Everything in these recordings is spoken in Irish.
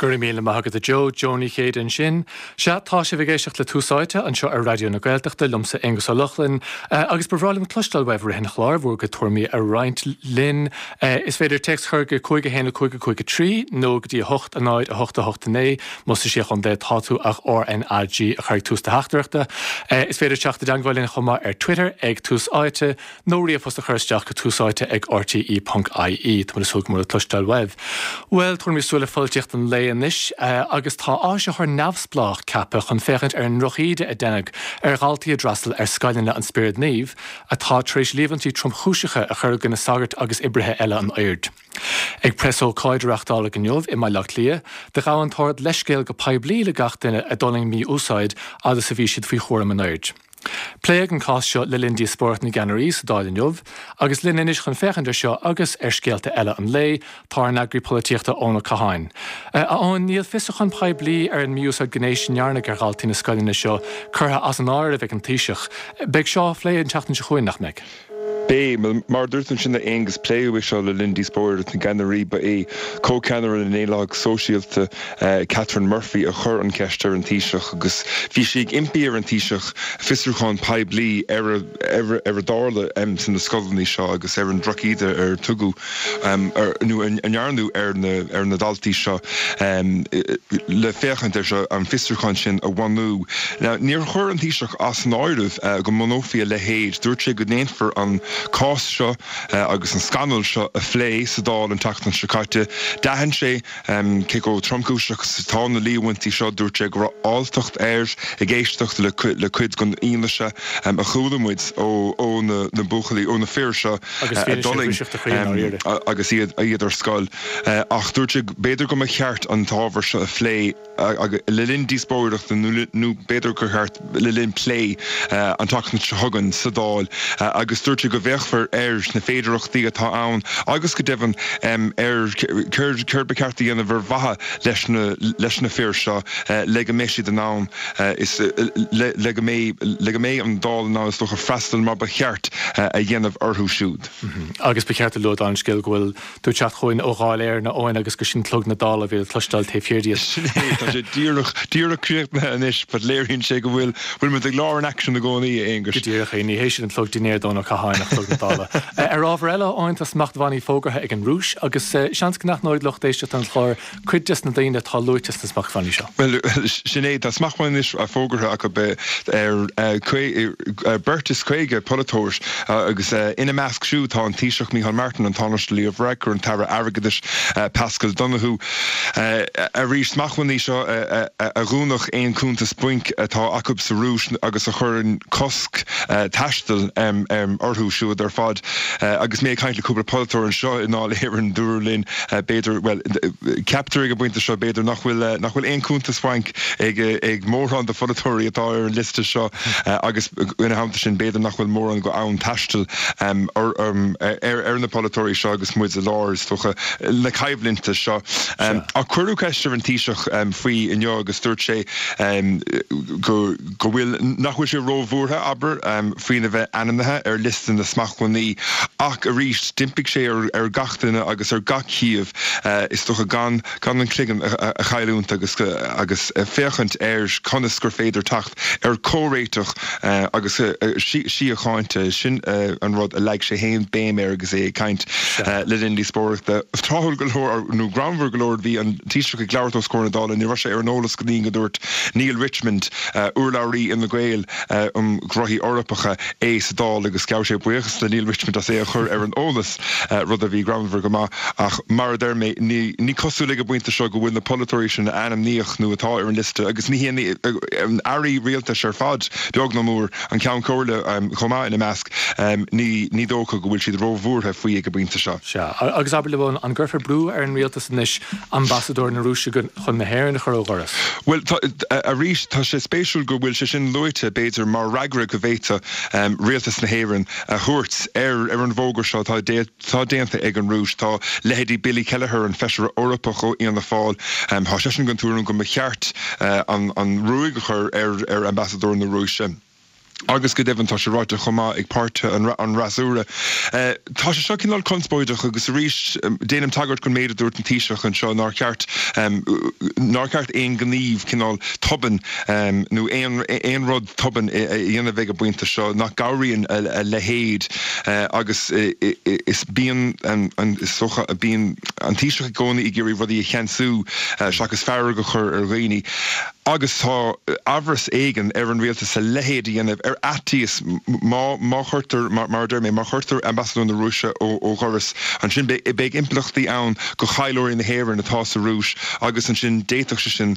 Go raibh míle maith agat a Joe, Joe Ní Chéide ansin. Sea, tá sibh ag éisteacht le Tús Áite anseo ar Raidió na Gaeltachta, liomsa Aonghus Ó Lochlainn, agus ba bhreá liom cloisteáil uaibh i rith an chláir, bhur gcuid tuairimí a roinnt linn. Is féidir téacs a chur go 5 1 5 5 3 nó go dtí 8 0 8 8 9, más sa Sé Chontae atá tú ach RNAG a chur ag tús do theachtaireachta. Is féidir teacht i dteagmháil linn chomh maith ar Twitter ag Tús Áite nó ríomhphost a chur isteach go túsáite ag rte ponc ie. Tá muid ag súil go mór le cloisteáil uaibh. Bhuel, tabharfaimid súil ar pholaitíocht an lae anois agus tá áisitheoir neamhspleách ceaptha chun féachaint ar an ndrochíde a deineadh ar dhaltaí a d'fhreastail ar scoileanna an Spioraid Naoimh atá tar éis líomhaintí tromchúiseacha a chur i gcoinne sagairt agus oibrithe eile an oird. Ag preasócáid a reáchtáladh inniu i mBaile Átha Cliath, do ghabh an tOrd leithscéal go poiblí le gach duine a d'fhulaing mí-úsáid fhad is a bhí siad faoi chúram an oird. Pléadh an cás seo le linn díospóireacht na gceannairí sa Dáil inniu, agus linn anois chun féachaint ar seo agus ar scéalta eile an lae, tá ár n-eagraí polaitíochta Eoin Ó Catháin. A Eoin, níl fiosrúchán poiblí ar an mí-úsáid gnéis a ndearnadh ar dhaltaí na scoileanna seo curtha as an áireamh ag an Taoiseach. Beidh seo á phlé an tseachtain seo chugainn, nach mbeidh? Beidh. Mar a dúirt tú ansin a Aonghus, pléadh é seo le linn díospóireacht na gceannairí. Ba é comhcheannaire na nDaonlathach Sóisialta, Catherine Murphy, a chuir an cheist ar an Taoiseach agus bhí sí ag impí ar an Taoiseach fiosrúchán poiblí ar ar a dtarla sna scoileanna seo agus ar an drochíde ar tugadh nó a ndearnadh ar na ar na daltaí seo le féachaint air seo, an fiosrúchán sin a bhunú. Now níor chuir an Taoiseach as an áireamh go mbunófaí a leithéid. Dúirt sé go ndéanfar an cás seo agus an scannal seo a phlé sa Dáil an tseachtain seo caite. D'aithin sé cé chomh tromchúiseach is atá na líomhaintí seo. Dúirt sé go raibh alltacht air ag éisteacht le cuid den fhianaise a chuala muid ó na buachaillí, ó na fir seo a d'fhulaing agus iad ar scoil. Ach dúirt sé b'fhéidir go mba cheart an t-ábhar seo a phlé. le linn díospóireachta nó b'fhéidir gur cheart le linn plé an tseachtain seo chugainn sa Dáil agus dúirt sé go bhféachfar ar na féidearthachtaí atá ann agus go deimhin ar céard ba cheart a dhéanamh ar mhaithe leis na leis na fir seo le go mbeidh siad in ann is le go mbeidh le go mbeidh an Dáil in ann is dócha freastal mar ba cheart a dhéanamh orthu siúd. Agus ba cheart a lua don scéal go bhfuil Tú ag teacht chugainn ó Dháil Éireann, a Eoin, agus gur sin clog na Dála a bhí le cloisteáil taobh thiar díot. Sin é, tá sé díreach, díreach críochnaithe anois, but léiríonn sé go bhfuil, bhfuil muid ag lár an aicsin i gcónaí, a Aonghuis. Go díreach é, ní hé sin an clog dinnéir d'Eoin Ó Catháin ach clog na Dála. Ar ábhar eile, a Eoin, tá smachtbhannaí fógartha ag an Rúis, agus seans go n-aithneoidh lucht éisteachta an chláir cuid des na daoine atá luaite sna smachtbhannaí seo. Bhuel, sin é, tá smachtbhannaí anois fógartha acu ar beirt is 50 polaiteoir agus ina measc siúd tá an Taoiseach Micheál Martin, an Tánaiste Leo Varadkar, an tAire Airgeadais Paschal Donohoe. Arís, smachtbhannaí seo a dhúnfadh aon chuntas bainc atá acu sa Rúis agus a chuireann cosc taistil orthu siúd ar fad. Agus mé ag caint le cúpla polaiteoir anseo i nDáil Éireann, dúradh linn, B'fhéidir, bhuel, ceaptar ag an bpointe seo, b'fhéidir, nach bhfuil, nach bhfuil aon chuntas bainc ag, ag mórán de pholaiteoirí atá ar an liosta seo agus ina theannta sin, b'fhéidir nach bhfuil mórán go fhonn taistil ar, ar na polaiteoirí seo agus muid i lár, is dócha, na coimhlinte seo. Ach cuireadh ceist ar an Taoiseach faoi inniu agus dúirt sé go, go bhfuil, nach bhfuil sé róbhuartha, abair, faoina bheith ainmnithe ar liosta na smachtbhannaí ach arís, d'impigh sé ar gach duine agus ar gach thaobh, is dócha, gan gan an cloigeann a chailliúint agus agus féachaint ar conas gur féidir teacht ar chomhréiteach agus síocháinte. Sin an rud a leag sé féin béim air agus é ag caint le linn díospóireachta. Tráthúil go leor, nó greannmhar go leor, bhí an Taoiseach ag labhairt os comhair na Dála, ní raibh sé ar an eolas go dtí go ndúirt Neale Richmond, urlabhraí Fhine Gael um Ghnóthaí Eorpacha, é sa Dáil agus ghabh sé buíochas le Neale Richmond as é a chur ar an eolas, rud a bhí greannmhar go maith. Ach mar a deir mé, ní cosúil ag an bpointe seo go bhfuil na polaiteoirí sin a ainmníodh nó atá ar an liosta, agus ní hé airí rialtais ar fad, beag nó mór, an Ceann Comhairle chomh maith ina measc, ní dócha go bhfuil siad róbhuartha faoi ag an bpointe seo. Sea, agus abair liom, an gcuirfear brú ar an rialtas anois ambasadóir na Rúise chun na hÉireann a chur ó dhoras? Bhuel, tá, arís, tá sé spéisiúil go bhfuil sé sin luaite, b'fhéidir, mar fhreagra go bhféadfadh rialtas na hÉireann a thabhairt ar ar an bhfógra seo atá atá déanta ag an Rúis. Tá leithéidí Billy Kelleher, an Feisire Eorpach ó Fhianna Fáil, tá seisean den tuairim go mba cheart an an ruaig a chur ar ar ambasadóir na Rúise. Agus go deimhin tá sé ráite chomh maith ag páirtithe an fhreasúra. Tá sé seo cineál conspóideach agus arís déanaim tagairt don méid a dúirt an Taoiseach anseo nár cheart nár cheart aon ghníomh cineál tobann nó aon aon rud tobann a dhéanamh ag an bpointe seo nach gcabhraíonn a leithéid agus is bíonn an is dócha bíonn an Taoiseach i gcónaí ag iarraidh rudaí a cheansú seachas fearg a chur ar dhaoine. Agus tá amhras éigin ar an rialtas a leithéid a dhéanamh ar fhaitíos má má chuirtear, mar a deir mé, má chuirtear Ambasadóir na Rúise ó dhoras, ansin beidh impleachtaí ann do thaidhleoirí na hÉireann atá sa Rúis agus ansin d'fhéadfadh sé sin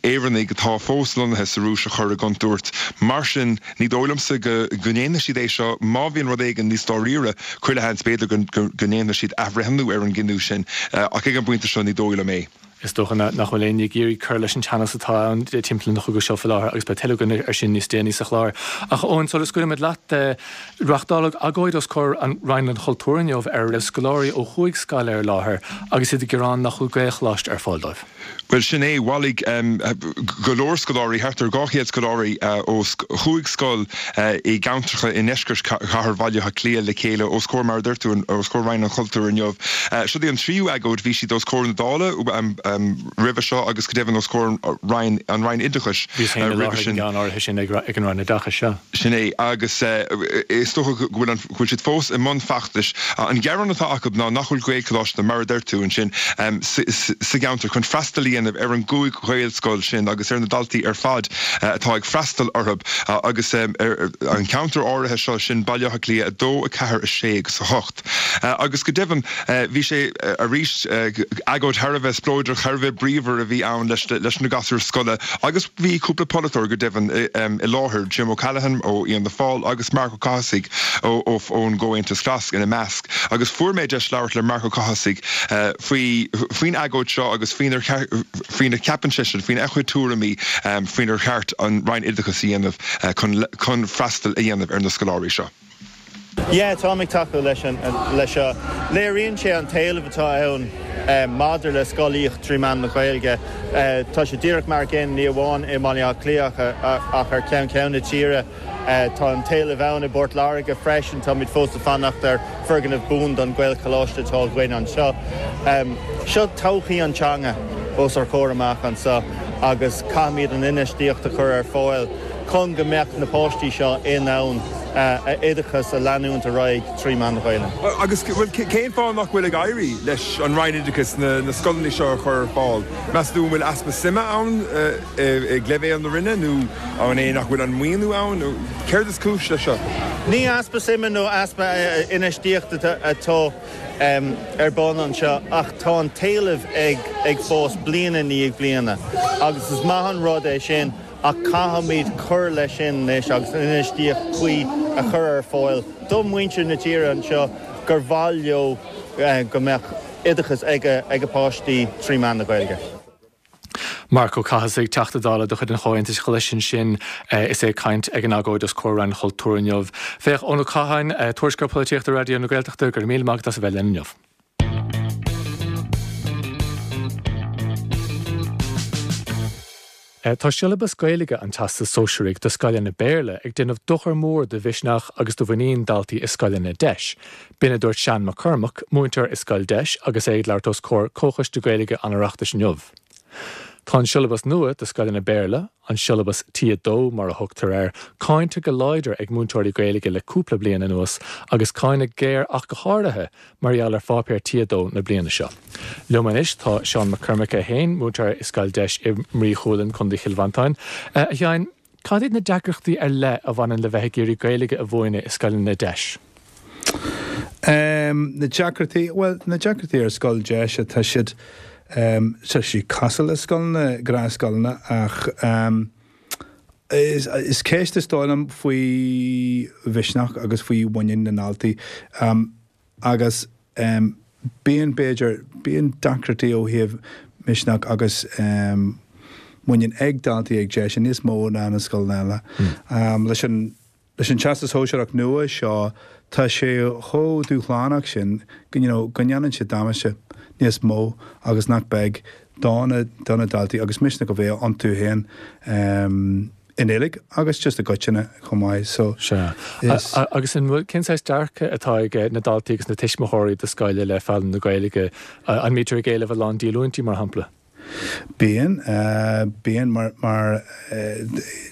Éireannaigh atá fós lonnaithe sa Rúis a chur i gcontúirt. Mar sin, ní dóigh liomsa go ndéanfaidh siad é seo. Má bhíonn rud éigin níos dáiríre, chuile sheans b'fhéidir go ndéanfaidh siad athbhreithniú ar an gcinneadh sin ach ag an bpointe seo ní dóigh liom é. Is dócha nach bhfuil éinne ag iarraidh cur leis an teannas atá ann timpeall an chogaidh seo faoi láthair agus beidh tuilleadh againn air sin níos déanaí sa chlár. Ach Eoin, sula scaoilfimid leat, reáchtáladh agóid os comhair an Roinn an Chultúir inniu ar a raibh scoláirí ó chúig scoil ar láthair agus iad ag gearán nach bhfuil Gaelcholáiste ar fáil dóibh. Bhuel, sin é. Bhailigh go leor scoláirí, thart ar 200 scoláirí ó chúig scoil i gceantracha i ndeisceart chathair Bhaile Átha Cliath le chéile os comhair, mar a deir tú, os comhair Roinn an Chultúir inniu. Seo í an tríú agóid. Bhí siad os comhair na Dála roimhe seo agus go deimhin os comhair an Roinn Oideachais Bhíos féin i láthair ag an gceann áirithe sin ag an Roinn Oideachais, sea. Sin é. Agus is dócha go bhfuil an, go bhfuil siad fós i mbun feachtais. An gearán atá acu ná nach bhfuil Gaelcholáiste, mar a deir tú ansin, sa gceantar chun freastal a dhéanamh ar an gcúig Ghaelscoil sin agus ar na daltaí ar fad atá ag freastal orthu agus ar an cheantar áirithe seo, sin Baile Átha Cliath 2, 4, 6 agus 8. Agus go deimhin, bhí sé arís, agóid thar a bheith spleodrach, thar a bheith bríomhar a bhí ann leis na gasúir scoile agus bhí cúpla polaiteoir go deimhin i láthair, Jim O'Callaghan ó Fhianna Fáil agus Marc Ó Cathasaigh ón gComhaontas Glas ina measc. Agus fuair mé deis labhairt le Marc Ó Cathasaigh faoi faoin agóid seo agus faoinar faoina cheapann seisean, faoina chuid tuairimí faoinar cheart an Roinn Oideachais a dhéanamh chun chun freastal a dhéanamh ar na scoláirí seo. Yeah, táim ag tacú leis leis seo. Léiríonn sé an t-éileamh atá ann maidir le scolaíocht trí mheán na Gaeilge. Tá sé díreach mar gcéanna ní amháin i mBaile Átha Cliath ach ar ceann ceann na tíre. Tá an t-éileamh ann i bPort Láirge freisin. Táimid fós ag fanacht ar foirgneamh buan don Ghaelcholáiste atá againn anseo. Seo todhchaí an teanga os ár comhair amach anseo agus caithfimid an infheistíocht a chur ar fáil chun go mbeadh na páistí seo in ann a oideachas a leanúint ar aghaidh trí mheán na Gaeilge. Agus cén fáth nach bhfuil ag éirí leis an Roinn Oideachais na scoileanna seo a chur ar fáil? Meas tú an bhfuil easpa suime ann ag leibhéal na Roinne nó an é nach bhfuil an maoiniú ann nó céard is cúis leis seo? Ní easpa suime nó easpa infheistíochta atá ar bun anseo ach tá an t-éileamh ag fás bliain i ndiaidh bliana agus is maith an rud é sin ach caithfimid cur leis sin anois agus an infheistíocht chuí a chur ar fáil do mhuintir na tíre anseo gur mhaith leo go mbeadh oideachas ag a bpáistí trí mheán na Gaeilge. Marc Ó Cathasaigh, Teachta Dála de chuid an Chomhaontais Ghlais ansin is é ag caint ag an agóid os comhair Roinn an Chultúir inniu. Féach, Eoin Ó Catháin, Tuairisceoir Polaitíochta Raidió na Gaeltachta, go raibh míle maith agat as a bheith linn inniu. Tá siollabas Gaeilge an Teastais Sóisearaigh do scoileanna Béarla ag déanamh dochar mór do mhisneach agus do mhuinín daltaí i scoileanna deis. B'in a dúirt Seán Mac Cormaic, múinteoir i scoil deis agus é ag labhairt os comhair Comhchoiste Gaeilge an Oireachtais inniu. Tá an siollabas nua do scoileanna Béarla, an siollabas T2 mar a thugtar air, cáinte go láidir ag múinteoirí Gaeilge le cúpla bliain anuas agus cáineadh géar ach go háirithe mar gheall ar pháipéar T2 na bliana seo. Liom anois tá Seán Mac Cormaic é féin, múinteoir i Scoil Deis i mBrí Chualann, Co. Chill Mhantáin. A Sheáin, cad iad na deacrachtaí ar leith a bhaineann le bheith ag iarraidh Gaeilge a mhúineadh i scoileanna deis? Na deacrachtaí, bhuel, na deacrachtaí ar scoil deis, tá siad, tá siad cosúil le scoileanna, gnáthscoileanna ach is ceist is dóigh liom faoi mhisneach agus faoi mhuinín na ndaltaí. Agus bíonn, b'fhéidir, bíonn deacrachtaí ó thaobh misneach agus muinín ag daltaí ag deis níos mó ná na scoileanna eile. Leis an, leis an Teastas Sóisearach nua seo, tá sé chomh dúshlánach sin go, you know, go ndéanann sé damáiste níos mó agus nach beag do na, do na daltaí agus misneach a bheith iontu féin. I nGaeilge agus just i gcoitinne chomh maith so Sea. Is. Agus an bhfuil, cén saghas dearcadh atá ag na daltaí agus na tuismitheoirí do scoil i leith foghlaim na Gaeilge? An mbítear ag éileamh a lán díolúintí, mar shampla? Bíonn, bíonn mar, mar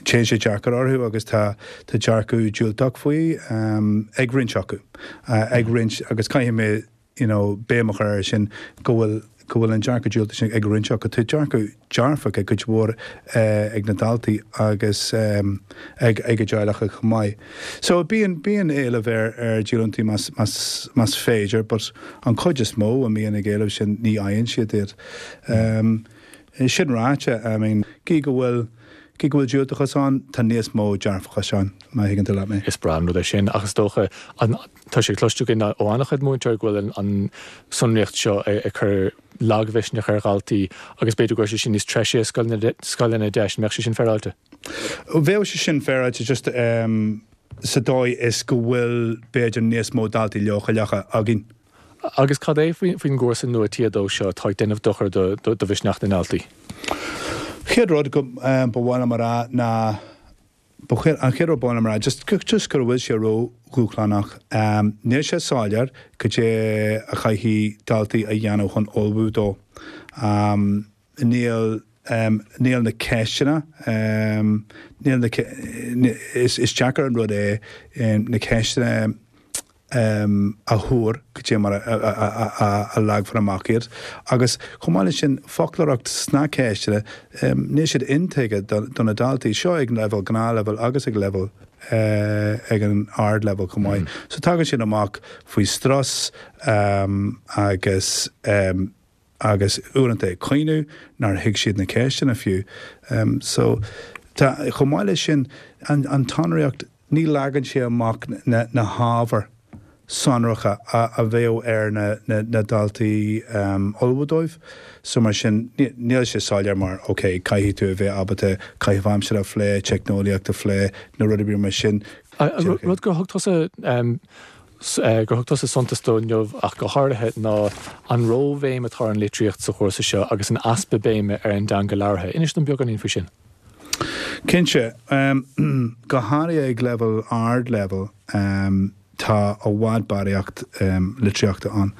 téann sé deacair orthu agus tá, tá dearcadh diúltach faoi ag roinnt acu, ag roinnt agus caithfidh mé you know, béim a chur air sin, go bhfuil, go bhfuil an dearcadh diúltach sin ag roinnt acu. Tá dearcadh dearfach ag cuid mhór ag na daltaí agus ag, ag a dteaghlach chomh maith. So bíonn, bíonn éileamh ar, ar dhíolúintí más, más, más féidir but an chuid is mó a mbíonn ag éileamh sin ní fhaigheann siad iad. Sin ráite, I mean, gí go bhfuil, gí go bhfuil diúltachas ann, tá níos mó dearfachais ann, má thuigeann tú leat mé. Is breá an rud é sin ach is dócha an, Tá sé cloiste againn ó an-chuid múinteoirí go bhfuil an tsonraíocht seo ag cur lagmhisneach ar dhaltaí agus b'fhéidir go bhfuil sé sin níos treise i scoileanna deis. An mbeadh sé sin féaráilte? Bheadh sé sin féaráilte just sa dóigh is go bhfuil b'fhéidir níos mó daltaí leochaileacha againn. Agus cad é faoin gcúrsa nua T2 seo atá ag déanamh dochar do mhisneach na ndaltaí? Chéad rud go ba mhaith liom a rá ná Ba chéad, an chéad rud ba mhaith liom a rá, just, just go bhfuil sé ró-dhúshlánach. Níl sé soiléir cad é a chaithfidh daltaí a dhéanamh chun ullmhú dó. Níl, níl na ceisteanna, níl na, is, is deacair an rud é na ceisteanna, a thuar cad é mar a leagfar amach iad. Agus chomh maith leis sin, foclóireacht sna ceisteanna, níl siad intuigthe do na daltaí. Seo ag leibhéal gnáthleibhéal agus ag leibhéal ag an ardleibhéal chomh maith. So tagann siad amach faoi strus agus. agus uaireanta ag caoineadh nár thuig siad na ceisteanna fiú. So, tá, chomh maith leis sin, an, an tsonraíocht, ní leagann sé amach na, na hábhair sonracha a, a bheadh ar na, na, na daltaí ullmhú dóibh. So mar sin, ní, níl sé soiléir mar, ok, caithfidh tú a bheith ábalta caitheamh aimsire a phlé, teicneolaíocht a phlé, nó rud ar bith mar sin. Rud gur thug tusa gur thug tusa suntas dó inniu ach go háirithe ná an róbhéim atá ar an litríocht sa chúrsa seo agus an easpa béime ar an dteanga labhartha. Inis dom beagáinín faoi sin. Cinnte. Go háirithe ag leibhéal ardleibhéal tá i bhfad barraíocht litríochta ann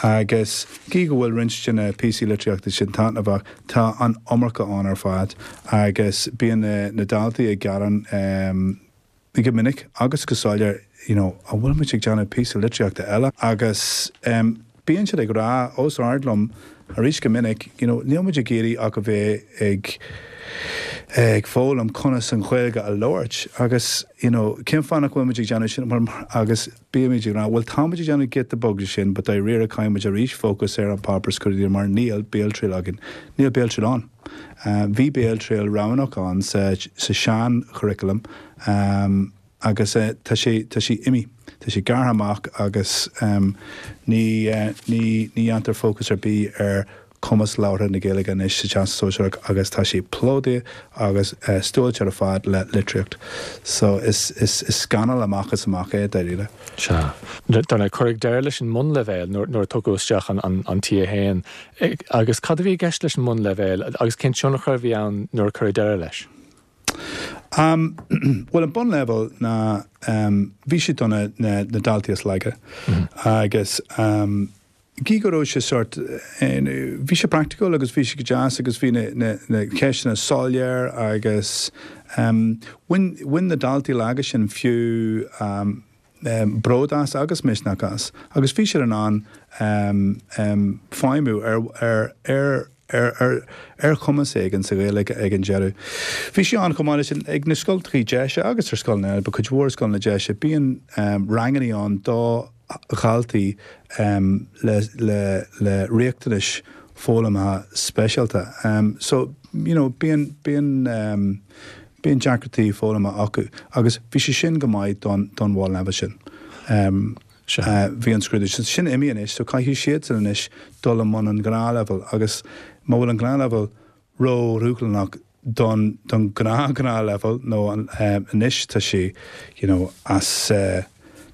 agus gí go bhfuil roinnt de na píosaí litríochta sin taitneamhach, tá an iomarca ann ar fad agus bíonn na daltaí ag gearán go minic agus go soiléir you know an bhfuil muid ag déanamh píosa litríochta eile agus em bíonn siad ag rá os ard liom arís go minic you know níl muid ag iarraidh ach a bheith ag ag foghlaim conas an Ghaeilge a labhairt agus you know cén fáth nach bhfuil muid ag déanamh sin mar agus bímid ag rá bhuel tá muid ag déanamh giota beag de sin but dáiríre caithfidh muid arís fócas ar an páipéar scrúdaithe mar níl béaltriail againn níl béaltriail ann. Bhí béaltriail roghnach ann sa sean-churriculum agus tá sé, tá sé imithe. Tá sé gearrtha amach agus ní, ní, ní dhéantar fócas ar bith ar chumas labhartha na Gaeilge anois sa Teastas Sóisearach agus tá sé plódaithe agus stuáilte ar fad le litríocht. So is, is, is scannal amach is amach é, dáiríre. Sea. Dar ndóigh, cuireadh deireadh leis an mbunleibhéal nuair a tugadh isteach an T1. Agus cad a bhí i gceist leis an mbunleibhéal agus cén tionchar a bhí ann nuair a cuireadh deireadh leis? Bhuel, an bunleibhéal ná, bhí sé do na daltaí is laige agus gí go raibh sé sórt, bhí sé praiticiúil agus bhí sé go deas agus bhí na ceisteanna soiléir agus bhain na daltaí laga sin fiú bród as agus misneach as agus bhí siad in ann feidhmiú ar ar ar ar chumas éigin sa Ghaeilge ag an deireadh. Bhí sé ann chomh maith leis sin ag na scoltachaí deise agus ar scoileanna eile, but cuid mhór scoileanna deise, bíonn rangannaí ann do dhaltaí le le le riachtanais foghlamtha speisialta. So, you know, bíonn bíonn Bíonn deacrachtaí foghlama acu agus bhí sé sin go maith don don bhunleibhéal sin. Bhí an scrúdú sin sin imithe anois so caithfidh siadsan anois dul i mbun an ghnáthleibhéil agus má bhfuil an gnáthleibhéal ró-dhúshlánach don don ghnáth-ghnáthleibhéal nó anois tá sé you know as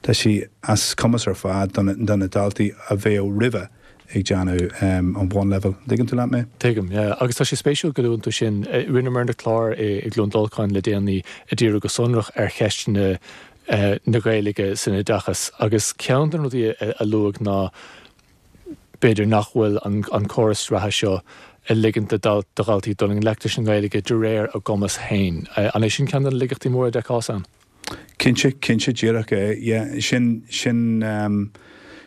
tá sé as cumas ar fad do na daltaí a bheadh roimhe. ag déanamh an bhunleibhéal. An dtuigeann tú leat mé? Tuigim, yeah. Agus tá sé spéisiúil go luann tú sin. Rinneamar clár i gCluain Dolcáin le déanaí ag díriú go sonrach ar cheist na na Gaeilge san oideachas agus ceann de na rudaí a luadh ná b'fhéidir nach bhfuil an córas reatha seo ag ligint do dhaltaí dul i ngleic leis an nGaeilge de réir a gcumas féin. An é sin ceann de na laigeachtaí móra a d'fheicfeá ann? Cinnte, cinnte, díreach é, yeah. Sin, sin,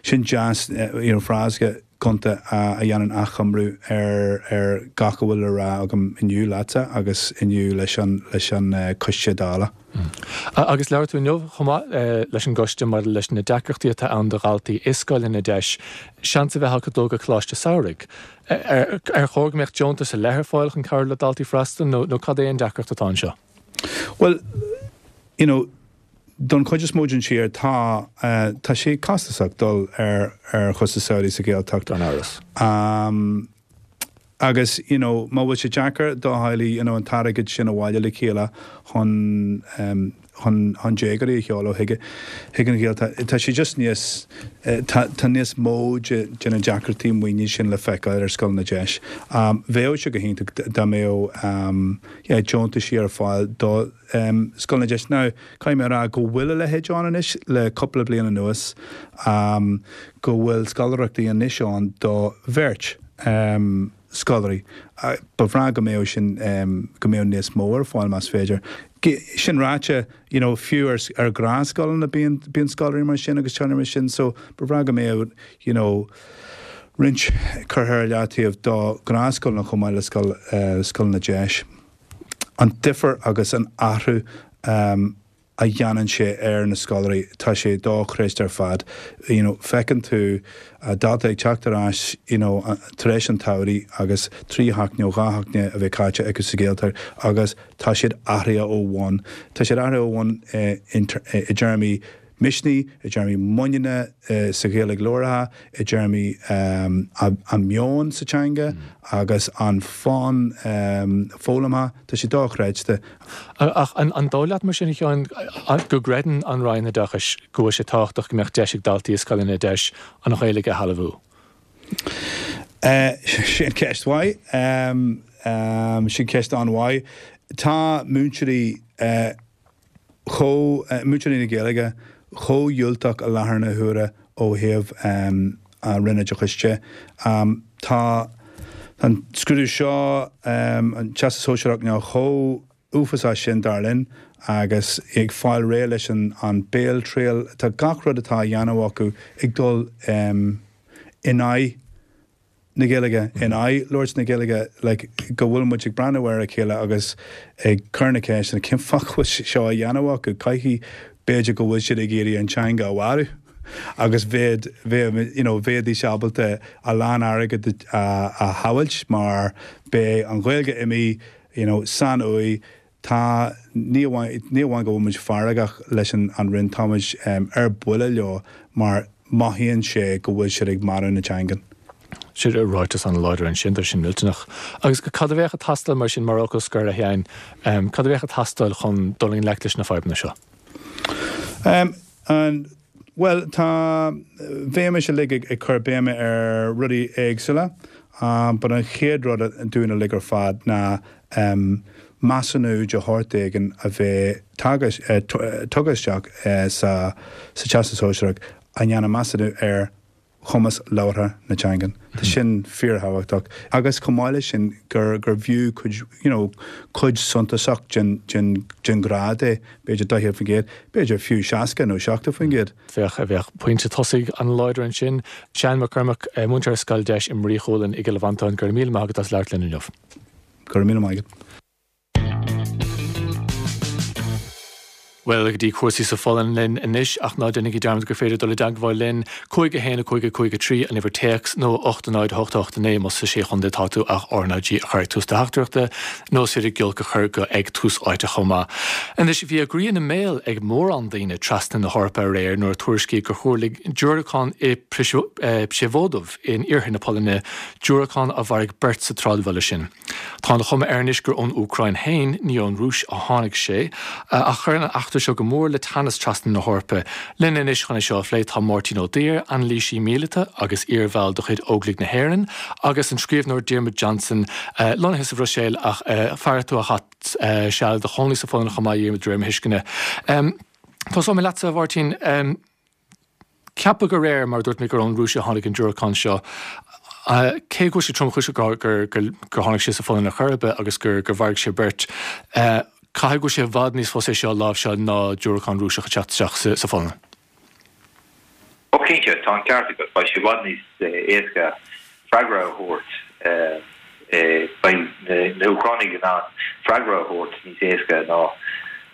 sin deas, you know, frása gonta a dhéanann achoimriú ar, ar gach a bhfuil le rá agam inniu leatsa agus inniu leis an, leis an Coiste Dála. Agus labhair tú inniu chomh maith leis an gcoiste maidir leis na deacrachtaí atá ann do dhaltaí i scoileanna deis seans a bheith acu dul go coláiste samhraidh. Ar chóir go mbeadh deontas ar leith ar fáil chun cabhrú le daltaí freastal nó cad é an deacracht atá anseo? Bhuel, you know, don chuid is mó den tír tá, tá sé costasach dul ar ar chúrsa samhraidh sa Ghaeltacht. Gan amhras. Agus, you know, má bhfuil sé deacair do theaghlaigh, you know, an t-airgead sin a bhailiú le chéile chun, chun, chun déagóirí a sheoladh chuig, chuig an Ghaeltacht, tá sé just níos, tá, tá níos mó de, de na deacrachtaí maoine sin le feiceáil ar scoileanna deis. Bheadh sé go hiontach dá mbeadh, yeah, deontaisí ar fáil do scoileanna deis. Now, caithfidh mé a rá go bhfuil a leithéid ann anois le cúpla bliain anuas, go bhfuil scoláireachtaí anois ann do bheirt scoláirí. Ba bhreá go mbeadh sin, go mbeadh níos mó ar fáil más féidir. Sin ráite, you know, fiú ar, ar ghnáthscoileanna bíonn, bíonn scoláirí mar sin agus teaghlaigh mar sin so ba bhreá go mbeadh, you know, roinnt curtha ar leataobh do ghnáthscoileanna chomh maith le scoil, scoileanna deis. An difear agus an athrú a dhéanann sé ar na scoláirí, tá sé dochreidte ar fad. You know, feiceann tú dalta ag teacht ar ais, you know, tar éis an tsamhraidh agus 3 sheachtaine nó 2 sheachtaine a bheith caite acu sa Ghaeltacht agus tá siad athraithe ó bhun. Tá siad athraithe ó bhun i dtéarmaí misnigh, i dtéarmaí muiníne sa Ghaeilge labhartha, i dtéarmaí a meon sa teanga agus an fonn foghlamtha, tá sé dochreidte. Ach an dóigh leat mar sin, a Sheáin, go gcreideann an Roinn Oideachais go bhfuil sé tábhachtach go mbeadh deis ag daltaí i scoileanna deis an Ghaeilge a shealbhú? Sin ceist mhaith. Sin ceist an-mhaith. Tá múinteoirí. chomh, múinteoirí na Gaeilge, chomh diúltach i láthair na huaire ó thaobh an Roinn Oideachais de. Tá an scrúdú seo, an Teastas Sóisearach, nó chomh uafásach sin dar linn agus ag fáil réidh leis an béaltriail, tá gach rud atá á dhéanamh acu ag dul in aghaidh na Gaeilge, in aghaidh labhairt na Gaeilge, like, go bhfuil muid ag breathnú ar a chéile agus ag cur na ceisteanna, cén fáth go bhfuil sé seo á dhéanamh acu? Caithfidh, b'fhéidir go bhfuil siad ag iarraidh an teanga a mharú agus bheadh, bheadh, you know, bheidís ábalta a lán airgid a, a shábháilt mar beidh an Ghaeilge imithe, you know, san uaigh, Tá, ní amháin, ní amháin go bhfuil muid feargach leis an an Roinn, tá muid ar buile leo mar mothaíonn sé go bhfuil siad ag marú na teangan. Sin ráiteas an-láidir ansin, tá sin millteanach. Agus cad a bheadh ag teastáil mar sin, mar fhocal scoir, a Sheáin, cad a bheadh ag teastáil chun dul i ngleic leis na fadhbanna seo? An, bhuel, tá, bheimis uilig ag ag cur béime ar rudaí éagsúla, but an chéad rud dúinn uilig ar fad ná measúnú de shórt éigin a bheith tugtha isteach sa Teastas Sóisearach a dhéanann measúnú ar chumas labhartha na teangan. Tá sin fíorthábhachtach. Agus chomh maith leis sin gur gurbh fhiú cuid you know cuid suntasach den den den ghrád é, b'fhéidir 40%, b'fhéidir fiú 60 nó 70%. Bheadh, bheadh pointe tosaigh an-láidir ansin. Seán Mac Cormaic, múinteoir ar Scoil Deis i mBrí Chualann i gCill Mhantáin, go raibh míle maith agat as labhairt linn inniu. Go raibh míle maith agat. Bhuel, go dtí cúrsaí sa Pholainn linn anois, ach ná déanaigí dearmad gur féidir dul i dteagmháil linn, 5 1 5 5 3 an uimhir téacs, nó 8 0 8 8 9 más sa Sé Chontae atá tú ach RnaG a chur ag tús do theachtaireachta, nó is féidir giolc a chur go ag Tús Áite chomh maith. Anois, bhí a gcroí ina mbéal ag mórán daoine trasna na hEorpa aréir nuair a tuairiscíodh gur thuirling diúracán i Przewodów in iarthar na Polainne, diúracán a mharaigh beirt sa tsráidbhaile sin. Tá an chuma air anois gur ón Úcráin féin, ní ón Rúis, a tháinig sé, ach chuir an eachtra seo go mór le teannas trasna na hEorpa. Linn anois chun é seo a phlé tá Máirtín Ó Duibhir, anailísí míleata agus iarbhall de chuid Óglaigh na hÉireann, agus an scríbhneoir Diarmuid Johnson, lonnaithe sa Bhruiséil ach fear atá a chaith seal i do chónaí sa Pholainn chomh maith, a Dhiarmuid, de réir mo thuisceana. Tosóidh mé leatsa, a Mháirtín. Ceapadh aréir, mar a dúirt mé, gur ón Rúis a tháinig an diúracán seo. Cé go bhfuil sé tromchúiseach gur tháinig sé sa Pholainn ar chor ar bith agus gur mharaigh sé beirt, caithfidh go bhfuil sé i bhfad níos fusa é seo a láimhseáil ná diúracán Rúiseach ag teacht isteach sa Pholainn. Ó cinnte, tá an ceart agat, beidh sé i bhfad níos éasca freagra a thabhairt, beidh na hÚcránaigh in ann freagra a thabhairt níos éasca ná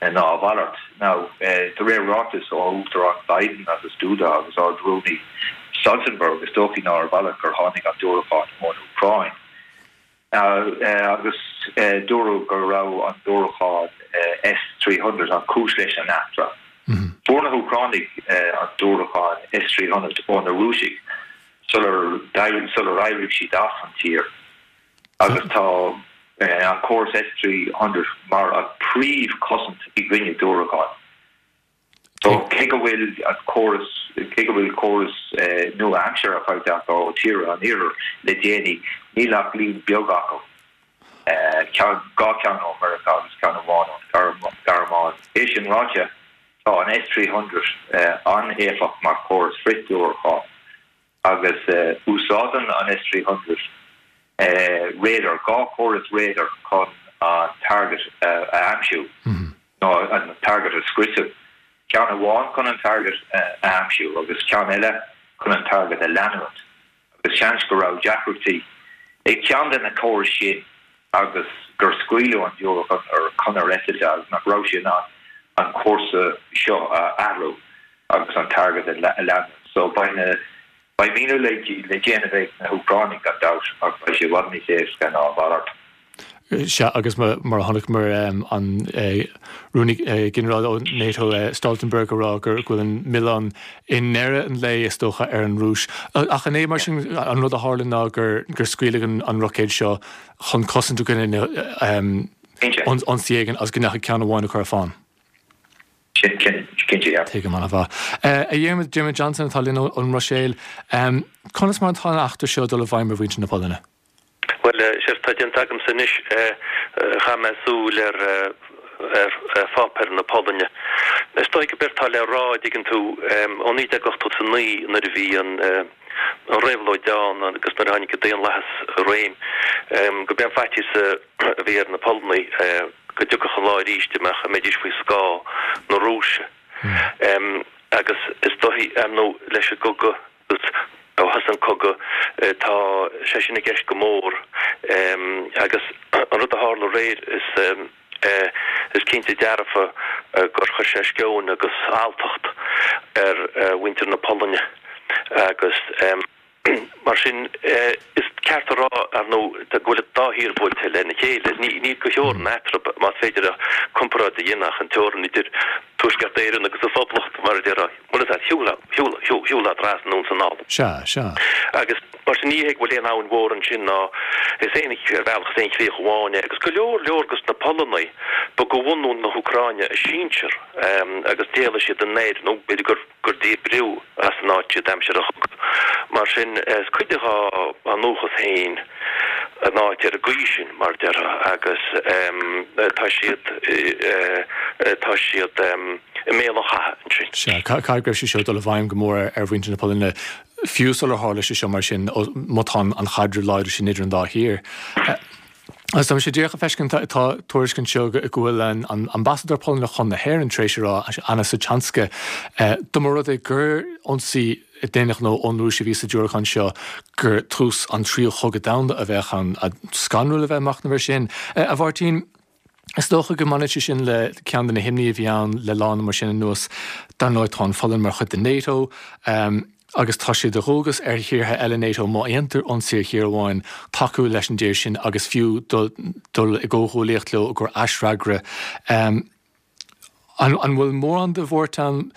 a mhalairt. Now, de réir ráiteas ó Uachtarán Biden agus Duda agus Ard-Rúnaí Stoltenberg, is dóichí ná a mhalairt gur tháinig an diúracán ón Úcráin. Agus dúradh go raibh an diúracán S-300 an chúis leis an eachtra. Fuair na hÚcránaigh an diúracán S-300 ó na Rúisigh sular sular éirigh siad as an tír agus tá an córas S-300 mar an príomh-chosaint i gcoinne diúracáin. So cé go bhfuil an córas cé go bhfuil córas nua-aimseartha faighte acu ó tíortha an Iarthair le déanaí, níl ach líon beag acu, ceann dhá cheann ó Meiriceá agus ceann amháin ón Ghearmáin. É sin ráite, tá an S-300 an-éifeacht mar chóras frith-diúracán. Agus úsáideann an S-300 radar, 2 chóras radar chun an target a aimsiú, nó an target a scriosadh. Ceann amháin chun an target a aimsiú agus ceann eile chun an target a leanúint. Agus seans go raibh deacrachtaí ag ceann de na córais sin agus gur scaoileadh an diúracán ar chonair eitilte agus nach raibh sé in ann an cúrsa seo a athrú agus an target a leanúint. So beidh na, beidh míniú le déanamh ag na hÚcránaigh gan dabht ach beidh sé i bhfad níos éasca ná a mhalairt. Sea, agus mar a chonaiceamar an Rúnaí Ginearálta ó NATO, Stoltenberg, ag rá go bhfuil an milleán i ndeireadh an lae, is dócha, ar an Rúis. Ach an é mar sin an rud a tharla ná gur scaoileadh an roicéad seo chun cosaint i gcoinne ionsaí éigin agus go ndeachaigh ceann amháin acu ar fán? Cinnte, yeah. Tuigim an-mhaith. A Dhiarmuid, Diarmuid Johnson atá linn ón mBruiséil. Conas mar atá an eachtra seo ag dul i bhfeidhm ar mhuintir na Polainne? Bhuel, séard atá déanta agamsa anois, chaith mé súil ar pháipéir na Polainne. Is dóigh gurb éard atá le rá, an dtuigeann tú, ó 1989 nuair a bhí an réabhlóid ann agus nuair a tháinig an daonlathas i réim, gurb é an faitíos a bhí ar na Polannaigh go dtiocfadh an lá arís a mbeadh, a mbeidís faoi scáth na Rúise. Agus is dóigh, ar ndóigh, leis an gcogadh, Agus ó thosaigh an cogadh, tá sé sin i gceist go mór. Agus an rud a tharla aréir, is is cinnte dearfa gur chuir sé sceoin agus alltacht ar mhuintir na Polainne. Agus mar sin, is ceart a rá, ar ndóigh, go bhfuil an dá thír buailte lena chéile. Níl de theorainn eatarthu, más féidir comparáid a dhéanamh, ach an teorainn idir Tuaisceart Éireann agus an Phoblacht, mar a déarfá. Bhuel, is ea, shiúlfá trasna anonn is anall. Sea, sea. Agus mar sin, ní hé go bhfuil aon abhainn mhór ansin ná is aon, ar bhealach, is aon chríoch amháin é. Agus go leor, leor dos na Polannaigh, ba de bhunadh na hÚcráine a sinsir agus d'éalaigh siad anoir, nó b'fhéidir gur, gur díbríodh as an áit iad aimsir an chogaidh. Mar sin, is cuid de dhá ndúchas féin an áit ar an gcaoi sin, mar a déarfá, agus tá siad, tá siad i mbéal an chatha ansin. Sea, caithfidh go raibh sé seo ag dul i bhfeidhm go mór ar mhuintir na Polainne, fiú sular tharla sé seo, mar sin, má tá an chaidreamh láidir sin idir an dá thír. Agus tá mise díreach ag feiscint, tá tuairisc anseo go bhfuil an Ambasadóir Polannach chun na hÉireann tar éis a rá, Anna Sochańska, dá mba rud é gur ionsaí d'aon ghnó ón Rúis a bhí sa diúracán seo, gur tús an tríú chogadh domhanda a bheadh ann. Scanrúil a bheith ag machnamh air sin. A Mháirtín, is dócha go mbaineann sé sin le ceann de na himní a bhí ann le lá nó mar sin anuas. Dar ndóigh tá an Pholainn mar chuid de NATO. Agus tá sé de dhualgas ar thíortha eile NATO, má dhéantar ionsaí ar thír amháin, tacú leis an dtír sin agus fiú dul i gcomhghuaillíocht leo i gcomhair aisfhreagra. An bhfuil mórán de bhuairt ann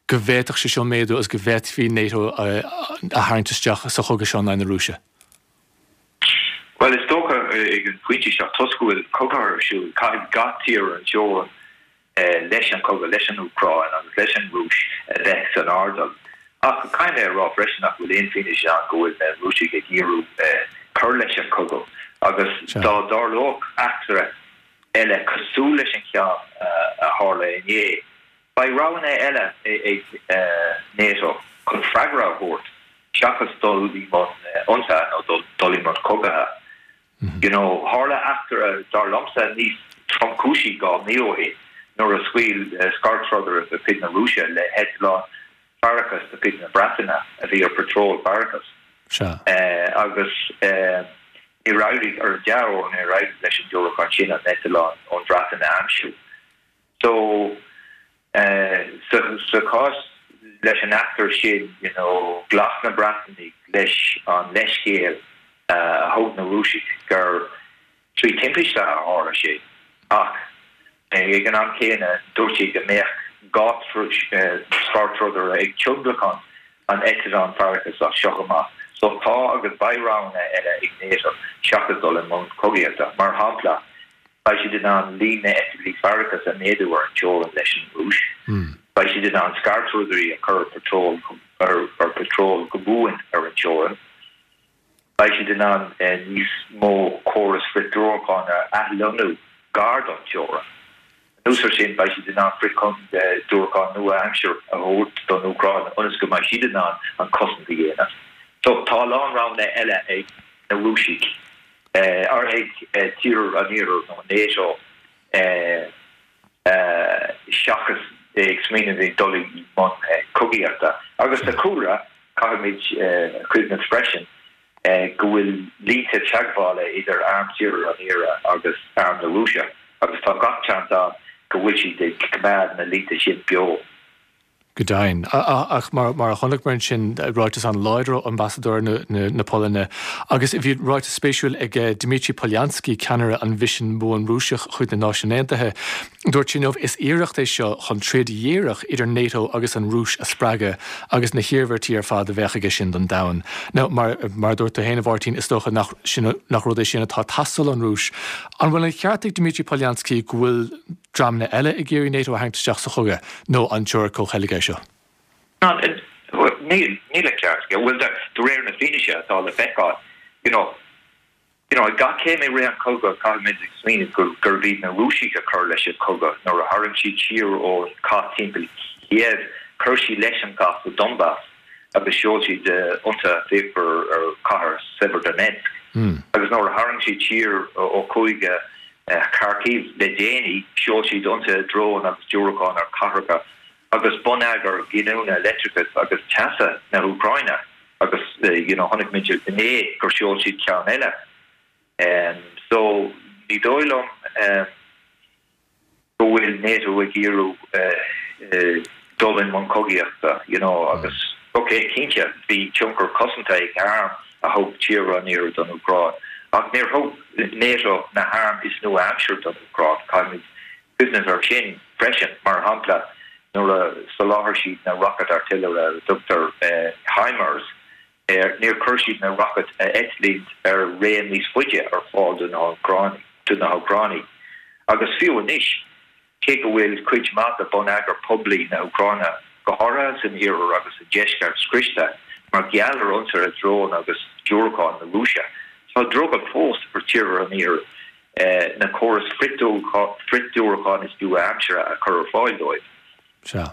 go bhféadfadh sé seo méadú agus go bhféadfaí NATO a tharraingt isteach sa chogadh seo in aghaidh na Rúise? Bhuel, is dócha ag an phointe seo, toisc go bhfuil cogadh ar siúl, caithfidh gach tír ar an teorainn leis an chogadh leis an Úcráin agus leis an Rúis a bheith san airdeall. Ach caithfidh mé a rá freisin nach bhfuil aon fianaise ann go bhfuil na Rúisigh ag iarraidh cur leis an chogadh agus dá dtarlódh eachtra eile cosúil leis an cheann a tharla inné, Beidh roghanna eile ag NATO chun freagra a thabhairt seachas dul i mbun ionsaithe nó dul i mbun cogaithe. You know, tharla eachtra, dar liomsa, níos tromchúisí 2 mhí ó shin nuair a scaoil scairdtrodaire de chuid na Rúise le heitleán faireachais de chuid na Breataine a bhí ar patról faireachais. Sea. Agus níor éirigh, ar an dea-uair, níor éirigh leis an diúracán sin an eitleán ón Bhreatain a aimsiú. So, sa chás leis an eachtra sin, you know, ghlac na Breatanaigh leis an leithscéal a thug na Rúisigh gur trí thimpiste a tharla sé ach ag an am céanna dúirt siad go mbeadh 2 scairtrodaire ag tionlacan an eitleáin faireachais as seo amach. So tá agus beidh roghanna eile ag NATO seachas dul i mbun cogaíochta. Mar shampla, Beidh siad in ann líon na n-eitiltí faireachais a mhéadú ar an teorainn leis an Rúis. Beidh siad in ann scairtrodairí a chur ar patról ar patról go buan ar an teorainn. Beidh siad in ann níos mó córas frith-diúracán a athlonnú gar don teorainn. Anuas air sin, beidh siad in ann frith-diúracáin nua-aimseartha a thabhairt don Úcráin ionas go mbeidh siad in ann an chosaint a dhéanamh. So, tá a lán roghanna eile ag na Rúisigh. ar ag tíortha an Iarthair nó NATO seachas ag smaoineamh ag dul i mbun cogaíochta. Agus sa chúlra, caithfimid cuimhneamh freisin go bhfuil línte teagmhála idir arm tíortha an Iarthair agus arm na Rúise agus tá gach seans ann go bhfuil siad ag coimeád na línte sin beo. Go deimhin. Ach mar a chonaiceamar ansin, ráiteas an-láidir ó ambasadóir na Polainne. Agus bhí ráiteas spéisiúil ag Dmitry Polyanskiy, ceannaire an mhisin bhuan Rúiseach chuig na Náisiúin Aontaithe. Dúirt sé inniu, Is iarracht é seo chun troid dhíreach idir NATO agus an Rúis a spreagadh agus na hiarmhairtí ar fad a bheadh aige sin don domhan. Now, mar a dúirt tú féin, a Mháirtín, is dócha nach nach rud é sin atá ag teastáil ón Rúis. An bhfuil an ceart ag Dmitry Polyanskiy go bhfuil dreamanna eile ag iarraidh NATO a tharraingt isteach sa chogadh, nó an teoiric comhcheilge é seo? Níl, níl an ceart aige. Bhuel, de réir na fianaise atá le feiceáil, you know, you know, ag gach céim i rith an chogaidh, caithfimid ag smaoineamh gur, gurbh iad na Rúisigh a chuir leis an chogadh. Nuair a tharraing siad siar ón chath timpeall Kiev, chuir siad leis an gcath sa Donbas agus sheol siad ionsaithe fíochmhar ar chathair Severodonetsk. Agus nuair a tharraing siad siar ó chúige Kharkiv le déanaí, sheol siad ionsaithe drón agus diúracán ar chathracha agus bonneagar giniúna leictreachais agus teasa na hÚcráine agus you know chonaic muid inné gur sheol siad ceann eile. So ní dóigh liom go bhfuil NATO ag iarraidh dul i mbun cogaíochta you know agus ok cinnte bhí tionchar cosanta ag airm a thug tíortha an Iarthair don Úcráin ach níor thug NATO na hairm is nua-aimseartha don Úcráin, caithfimid cuimhneamh air sin freisin, mar shampla nuair a sholáthair siad na rocaid artillery ar a dtugtar HIMARS air, níor chuir siad na rocaid a eitlíonn ar raon níos faide ar fáil do na hÚcránaigh. Agus fiú anois, cé go bhfuil cuid mhaith de bhonneagar poiblí na hÚcráine, go háirithe san iarthar agus sa deisceart, scriosta mar gheall ar ionsaithe drón agus diúracán na Rúise, tá drogall fós ar tíortha an iarthair na córais frith-diúracán is nua-aimseartha a chur ar fáil dóibh. Sea.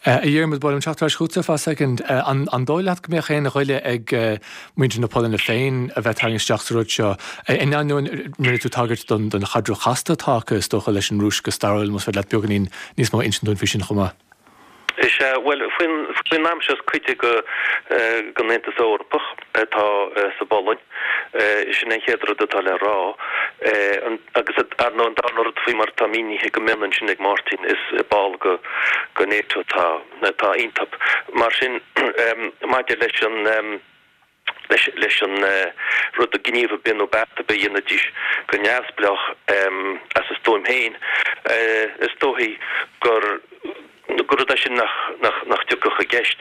A Dhiarmaid, ba mhaith liom teacht ar ais chugatsa ar feadh soicind. An dóigh leat go mbeadh aon ghoile ag muintir na Polainne féin a bheith tarraingthe isteach sa rud seo? In ainneoin, rinne tú tagairt don chaidreamh chasta atá acu, is dócha, leis an Rúis go stairiúil, más féidir leat beagáinín níos mó a insint dúinn faoi sin chomh maith. Is ea, bhuel, faoin am seo is cuid de den Aontas Eorpach atá sa bPolainn. Sin an chéad rud atá le rá. Agus ar ndóigh an darna rud faoi mar atá mínithe go mion ansin ag Máirtín is ball de NATO atá atá iontu. Mar sin maidir leis an leis leis an rud gníomh ar bith nó beart ar bith a dhéanfaidís go neamhspleách as a stuaim féin is dóichí gur. Gur rud é sin nach, nach, nach dtiocfadh i gceist.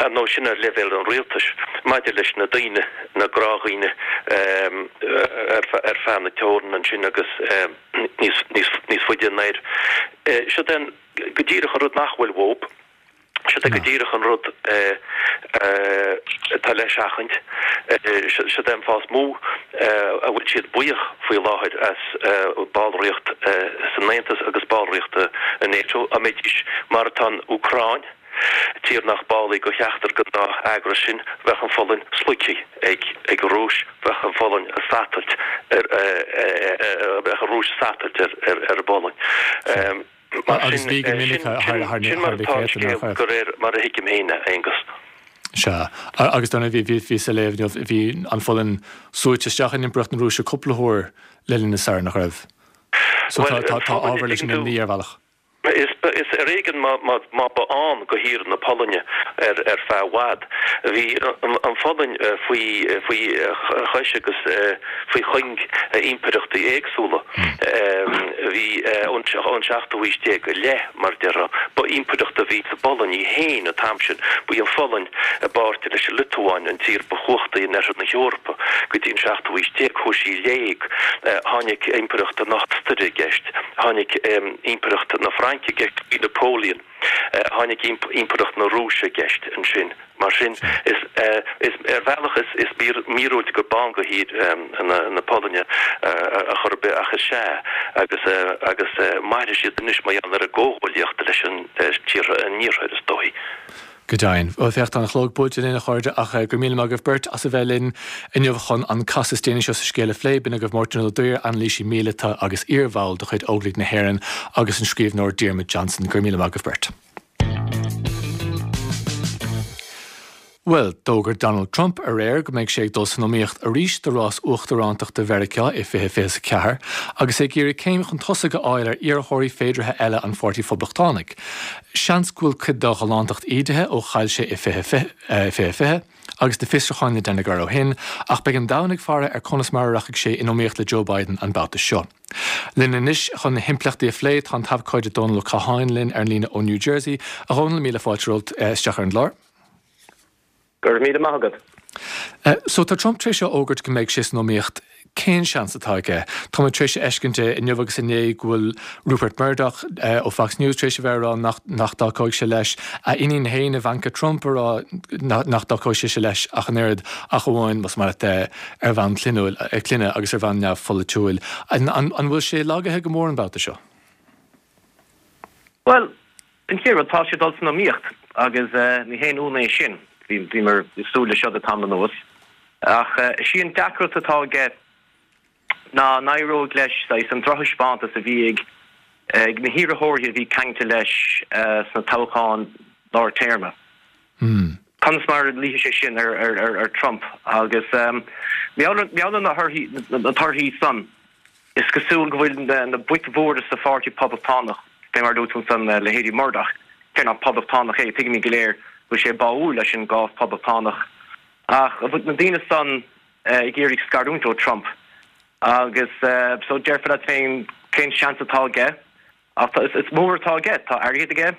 Ar ndóigh, sin ar leibhéal an rialtais. Maidir leis na daoine, na gnáthdhaoine ar, ar feadh na teorann ansin agus níos, níos, níos faide anoir, siod é go díreach an rud nach bhfuil uathu. Siod é go díreach an rud atá le seachaint. Siod é an fáth is mó a bhfuil siad buíoch faoi láthair as ballraíocht san Aontas agus ballraíocht i NATO. Dá mbeidís mar atá an Úcráin, tír nach ball í de cheachtar den dá eagras sin, bheadh an Pholainn sloigthe ag an Rúis, bheadh an Pholainn ag satailt ar, bheadh an Rúis ag satailt ar an bPolainn. Mar Agus sin, bhí go minic sin, thar sin mar na atá an céadta, nach scéal raibh? de réir mar a thuigim féin é, a Aonghus. Sea. Agus dar ndóigh, bhí, bhíos ag léamh inniu, bhí an Pholainn suaite isteach in Impireacht na Rúise cúpla huair le linn na staire, nach raibh? So Bhuel, tá, an tá Pholainn, ábhar leis an tuigeann tú, imní ar bhealach. Is, is ar éigean má, má, má ba ann do thír na Polainne ar, ar feadh i bhfad. Bhí an, an Pholainn faoi, faoi chois agus faoi chuing impireachtaí éagsúla. Bhí ón seachtú haois déag i leith, mar a déarfá, ba impireacht a bhí sa bPolainn í féin an t-am sin. Ba í an Pholainn, i bpáirt leis an Liotuáin, an tír ba chumhachtaí in oirthear na hEorpa go dtí an seachtú haois déag. Chuaigh sí i léig. Tháinig Impireacht na hOstaire i gceist. Tháinig Impireacht na Fraince i gceist faoi Napoleon. Tháinig Impireacht na Rúise i gceist ansin. Mar sin, is, is, ar bhealach is, is míorúilt gurb ann do thír na Polainne ar chor ar bith ach is ea, agus, agus mairfidh siad anois mar gheall ar a gcomhghuaillíocht leis an tíortha an iarthair, is dóichí. Go deimhin. Bhuel, féach, tá an clog buailte linn, a chairde, ach go raibh míle maith agaibh beirt as a bheith linn inniu chun an casadh is déanaí seo sa scéal a phlé. B'in agaibh Máirtín Ó Duibhir, anailísí míleata agus iar-bhall de chuid Óglaigh na hÉireann, agus an scríbhneoir Diarmuid Johnson. Go raibh míle maith agaibh beirt. Bhuel, d'fhógair Donald Trump aréir go mbeidh sé ag dul san iomaíocht arís do rás uachtarántachta Mheiriceá i 2024, agus é ag iarraidh céim chun tosaigh a fháil ar iarrthóirí féideartha eile an Pháirtí Phoblachtánach. Seans go bhfuil cuid dá ghalántacht ídithe ó chaill sé i 2020, agus na fiosrúcháin le déanamh air ó shin, ach beidh an domhan ag faire ar conas mar a rachaidh sé in iomaíocht le Joe Biden an babhta seo. Linn anois chun na himpleachtaí a phlé tá an t-abhcóide Dónal Ó Catháin linn ar an líne ó New Jersey. A Dhónaill, míle fáilte romhat isteach ar an gclár. Go raibh míle maith agat. So tá Trump tar éis a fhógairt go mbeidh sé san iomaíocht. Cén seans atá aige? Tá muid tar éis a fheiscint inniu agus inné go bhfuil Rupert Murdoch ó Fox News tar éis a bheith ag rá nach nach dtacóidh sé leis. A iníon féin, Ivanka Trump, ag rá nach dtacóidh sise leis ach an oiread, ach amháin más maith leat ar bhonn clainne agus ar bhonn neamhpholaitiúil. An bhfuil sé lagaithe go mór an babhta seo? Bhuel, an chéad rud, tá sé ag dul san iomaíocht agus ní haon ionadh é sin. Bhíomar ag súil leis seo le tamall anuas. Ach is í an deacracht atá aige ná an éireoidh leis saghas an drochthaispeántas a bhí ag ag na hiarrthóirí a bhí ceangailte leis sna toghcháin lár téarma. Conas mar a luífidh sé sin ar ar ar Trump agus mar gheall ar na thorthaí na torthaí san is cosúil go bhfuil na na boic mhóra sa pháirtí Poblachtánach, fé mar a luaigh tú ansan leithéidí Murdoch, cé nach Poblachtánach é, tuigimid go léir go bhfuil sé báúil leis an gcás Poblachtánach. Ach na daoine san ag iarraidh scarúint ó Trump agus so déarfá leat féin cén seans atá aige ach tá, is mór atá aige, tá airgead aige,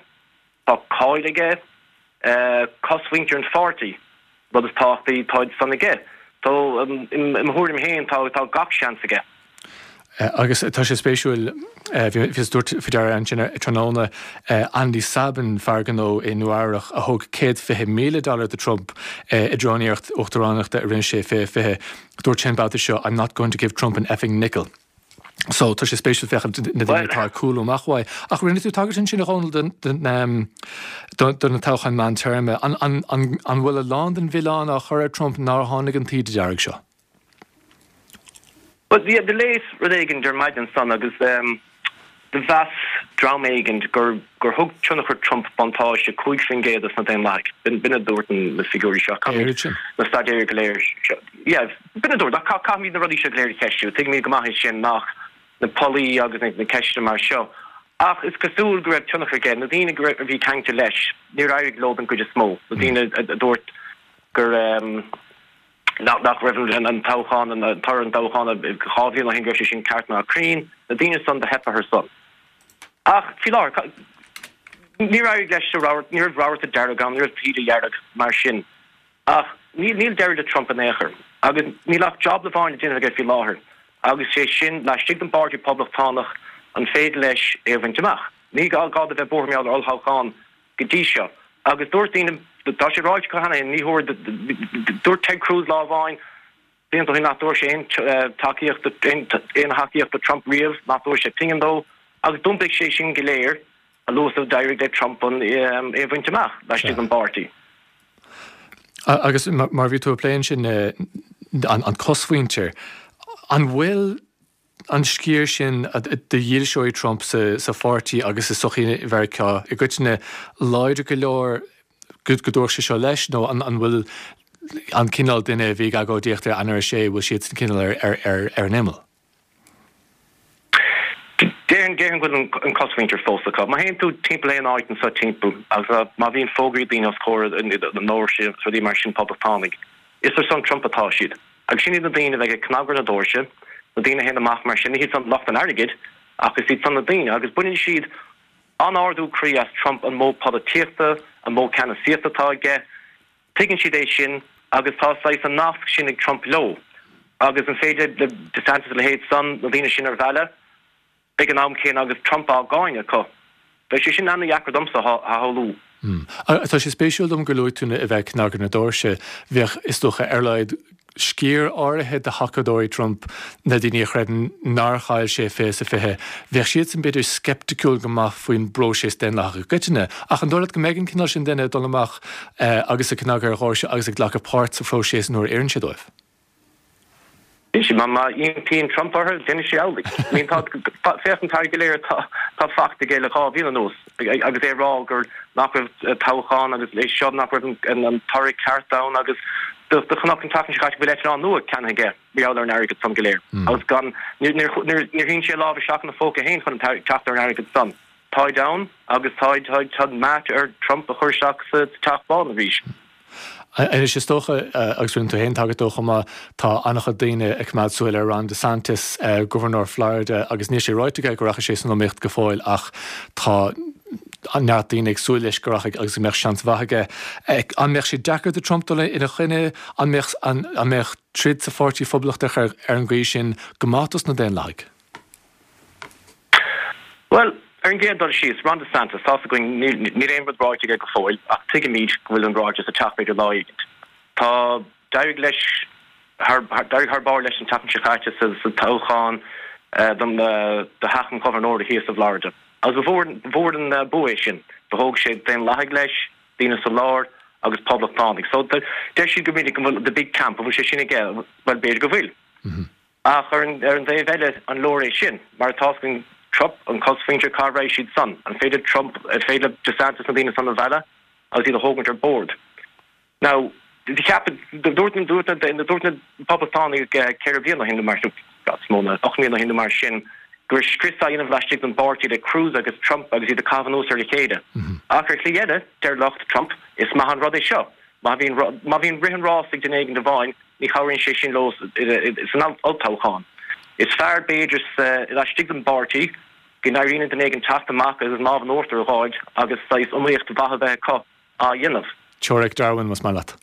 tá cáil aige, cosmhuintir an pháirtí, rud is tábhachtaí, táid san aige. So i mo thuairim féin tá, tá gach seans aige. Agus tá sé spéisiúil, bhíos ag tabhairt faoi deara ansin tráthnóna, Andy Sabin, fear gnó i Nua Eabhrac a thug 120,000 dollar do Trump i dtreo an iarracht uachtaránachta a rinne sé i 2020, dúirt sé an babhta seo, I'm not going to give Trump an effing nickel. So, tá sé spéisiúil féachaint na daoine atá ag cúlú amach uaidh. Ach rinne tú tagairt ansin, a Dhónaill, do na toghcháin meántéarma. An bhfuil a lán den mhilleán á chur ar Trump nár tháinig an taoide dearg seo? Bhuel, bhí, do léas rud éigin ar maidin ansan agus do mheas dream éigin gur gur thug tionchar Trump buntáiste 5% dos na Daonlathaigh. B'in a dúirt na figiúirí seo. Oiread sin? Na staidéir go léir seo. Yeah, b'in a dúirt. Ach caithfimid na rudaí seo go léir a cheistiú. Tuigimid go maith é sin nach na pollaí agus na ceisteanna mar seo. Ach is cosúil go raibh tionchar aige. Na daoine go raibh, a bhí ceangailte leis, níor éirigh leo den gcuid is mó. Na daoine a dúirt gur. nach raibh an toghchán, an toradh an toghcháin 2 bhliain ó shin, go raibh sé sin ceart ná cruinn, na daoine san do theip orthu san. Ach faoi láthair, Níor éirigh leis sa rabharta, ní raibh rabharta dearg ann, ní raibh taoide dhearg mar sin. Ach níl níl deireadh le Trump in aon chor. Agus níl ach jab amháin le déanamh aige faoi láthair, agus sé sin, laistigh den bpáirtí Poblachtánach, an féidir leis é a bhaint amach? Ní gá dó bheith buartha mar gheall ar olltoghchán go dtí seo. Agus dúirt daoine, tá sé ráite acu cheana féin, ní thabharfaidh, dúirt Ted Cruz lá amháin, blianta ó shin nach dtabharfadh sé aon tacaíocht aon thacaíocht do Trump riamh, nach dtabharfadh sé pingin dó, agus d'iompaigh sé sin go léir a luaithe is a d'éirigh le Trump an é a bhaint amach laistigh den bpáirtí. Agus mar a bhí tú ag plé ansin an cosmhuintir, an bhfuil an sciar sin de dhílseoirí Trump sa pháirtí agus i sochaí Mheiriceá i gcoitinne láidir go leor go dtabharfadh sé seo leis nó an bhfuil an cineál duine a bhí ag agóidíocht ar Eanáir 6, bhfuil siadsan cineál ar an imeall? Déarfainn go bhfuil an cosmhuintir fós acu. Má théann tú timpeall aon áit anseo timpeall agus má bhíonn fógraí daoine os comhair na ndoirse agus rudaí mar sin poblachtánaigh, is ar son Trump atá siad. Agus sin iad na daoine a bheidh ag cnagadh ar na doirse, na daoine a théann amach mar sin, ní hiad san lucht an airgid, ach is iad san na daoine. Agus baineann siad an-ardú croí as Trump, an modh polaitíochta, an modh ceannasaíochta atá aige. Tuigeann siad é sin agus tá saghas an nasc sin ag Trump leo. Agus an féidir le DeSantis a leithéid san, na daoine sin a mhealladh? Ag an am céanna agus Trump á gcáineadh acu. Beidh sé sin ana-dheacair domsa a shamhlú. Tá sé spéisiúil dom gur luaigh tú a bheith ag cnagadh na doirse. Bheadh, is dócha, ar a laghad sciar áirithe de thacadóirí Trump, na daoine a chreideann nár chaill sé 2020, bheadh siadsan b'fhéidir sceipticiúil go maith faoin bpróiseas daonlathach i gcoitinne. Ach an dóigh leat go mbeidh an cineál sin duine ag dul amach agus ag cnagadh ar dhoirse agus ag glacadh páirt sa phróiseas nuair a oireann sé dóibh? Má má impíonn Trump orthu, déanfaidh sé amhlaidh. I mean tá, féach an t-airgead go léir atá tá faighte aige le 2 bhliain anuas agus é ag rá gur nach raibh toghchán agus é seo nach raibh an an toradh ceart ann agus do do chonac an tseachtain seo caite go bhfuil eitleán nua ceannaithe aige mar gheall ar an airgead san go léir agus gan níor níor níor níor shín sé a lámh isteach ina phóca féin chun an teacht ar an airgead san. Táid ann agus táid táid tá meat ar Trump a chur isteach sa Teach Bán arís. Anois, is dócha, agus rinne tú féin tagairt dó chomh maith, tá an-chuid daoine ag coimeád súil ar Ron DeSantis, Gobharnóir Florida, agus níl sé ráite aige go rachaidh sé san iomaíocht go fóill ach tá neart daoine ag súil leis go rachaidh agus go mbeadh seans mhaith aige. An mbeadh sé deacair do Trump dul ina choinne? An mbeadh, an mbeadh troid sa Pháirtí Phoblachtach ar an gcaoi sin go maith dos na Daonlathaigh? Bhuel, ar an gcéad dul síos, Ron DeSantis, tá's againn, níl, níl aon rud ráite aige go fóill, ach tuigimid go bhfuil an ráiteas ag teacht b'fhéidir lá éigint. Tá, d'éirigh leis thar, d'éirigh thar barr leis an tseachtain seo caite sa, sa toghchán don, do theach an ghobharnóra thíos i bhFlorida. Agus ba mhór, ba mhór an bua é sin. Do thóg sé Daonlathaigh leis, daoine sa lár agus Poblachtánaigh. So, deir siad go minic go bhfuil the big camp, an bhfuil sé sin aige? Bhuel, b'fhéidir go bhfuil. Ach ar an dtaobh eile, an leor é sin? Mar tá's againn Trump, an cosmhuintir, cá raghaidh siad san? An féidir Trump, an féidir le DeSantis na daoine san a mhealladh agus iad a thógaint ar bord? Now, cheap, dúirt na, dúirt na, dúirt na Poblachtánaigh 4 bliana ó shin nó mar, is mó ná 8 mbliana ó shin nó mar sin, go raibh scrios á dhéanamh laistigh den bpáirtí le Cruz agus Trump agus iad ag caitheamh anuas ar a chéile. Ach ar shlí eile, deir lucht Trump, is maith an rud é seo. Má bhíonn, má bhíonn rith an rás ag duine éigin amháin, Ní chabhraíonn sé sin leo san olltoghchán. Is fearr, b'fhéidir, laistigh den bpáirtí, go n-éiríonn le duine éigin teacht amach agus an lámh in uachtar a dh'fháil agus saghas iomaíocht mhaith a bheith acu á dhéanamh. Teoiric Darwin, más maith leat.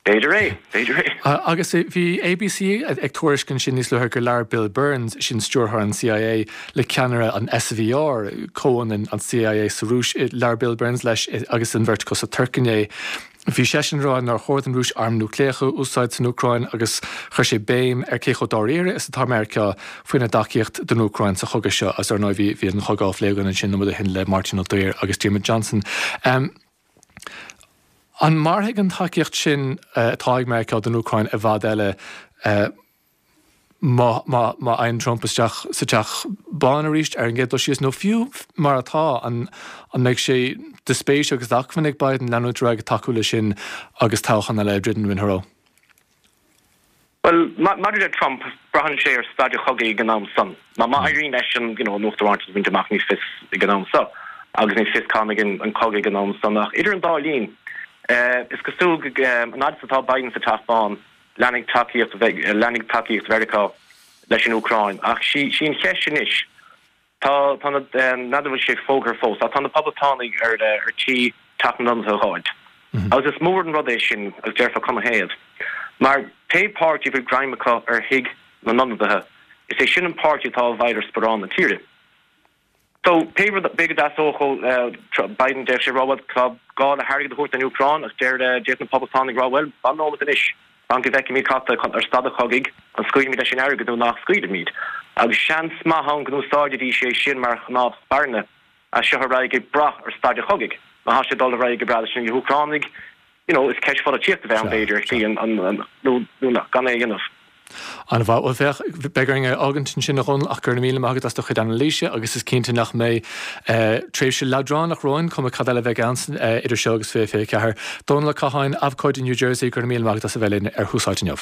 B'fhéidir é, b'fhéidir é. Agus bhí ABC ag tuairisc ansin níos luaithe gur labhair Bill Burns, sin stiúrthóir an CIA, le ceannaire an SVR, comhionann an CIA sa Rúis, labhair Bill Burns leis agus an bheirt acu sa Tuirc inné. Bhí seisean ag rá nár chóir don Rúis airm núicléacha a úsáid san Úcráin agus chuir sé béim ar cé chomh dáiríre is atá Meiriceá faoina dtacaíocht don Úcráin sa chogadh seo agus ar ndóigh bhí bhí an chogadh á phlé againn ansin nóiméad ó shin le Máirtín Ó Duibhir agus Diarmuid Johnson. An mairfidh an tacaíocht sin atá ag Meiriceá don Úcráin i bhfad eile? Má fhaigheann Trump isteach sa Teach Bán arís ar an gcéad dul síos, nó fiú mar atá, an mbeidh sé de spéis agus d'acmhainn ag Biden leanúint ar aghaidh ag tacú leis sin agus toghchán eile ag druidim ina threo? Bhuel, maidir le Trump, braitheann sé ar staid an chogaidh ag an am san. Má éiríonn leis an you know an uachtaránacht a bhaint amach ní fios ag an am so, agus ní fios cá mbeidh an cogadh ag an am san. Ach idir an dá linn, is cosúil go an fhad is atá Biden sa Teach Bán, Leanfaidh tacaíocht leanfaidh tacaíocht Mheiriceá leis an Úcráin. Ach sí sí an cheist anois. Tá, tá na, n'fheadar an bhfuil sé fógartha fós, ach tá na Poblachtánaigh ar, ar tí Teach na nIonadaithe a ghabháilt. Agus is mór an rud é sin, agus déarfá canathaobh? Mar pé páirtí a bhfuil greim acu ar Thigh na nIonadaithe, is é sin an páirtí atá i bhfeighil ar sparán na tíre. So, pé rud, b'fhéidir go dteastódh ó Biden, d'fhéadfadh sé a rá, bhuel, tá gá le hairgead a thabhairt don Úcráin, ach deir, d'fhéadfadh na Poblachtánaigh a rá, bhuel, fan nóiméad anois, fan go bhfeicfimid cad tá ar staid an chogaidh, an scaoilfimid leis an airgead nó nach scaoilfimid? Agus seans maith ann go n-úsáidfidís é sin mar chnámh spairne as seo ar aghaidh ag brath ar staid an chogaidh. Má tá sé ag dul ar aghaidh go breá leis na hÚcránaigh, you know, is ceist pholaitíochta a bheidh ann, b'fhéidir, ar shlí, an, nó, nó gan é a dhéanamh. An-mhaith. Bhuel, féach, beidh orainn é a fhágaint ansin, a Dhónaill, ach go raibh míle maith agat as do chuid anailíse agus is cinnte nach mbeidh tréimhse leadránach romhainn, cuma cad eile a bheidh ann idir seo agus 2024. Dónall Ó Catháin, abhcóide New Jersey, go raibh míle maith agat as a bheith linn ar Thús Áite inniu.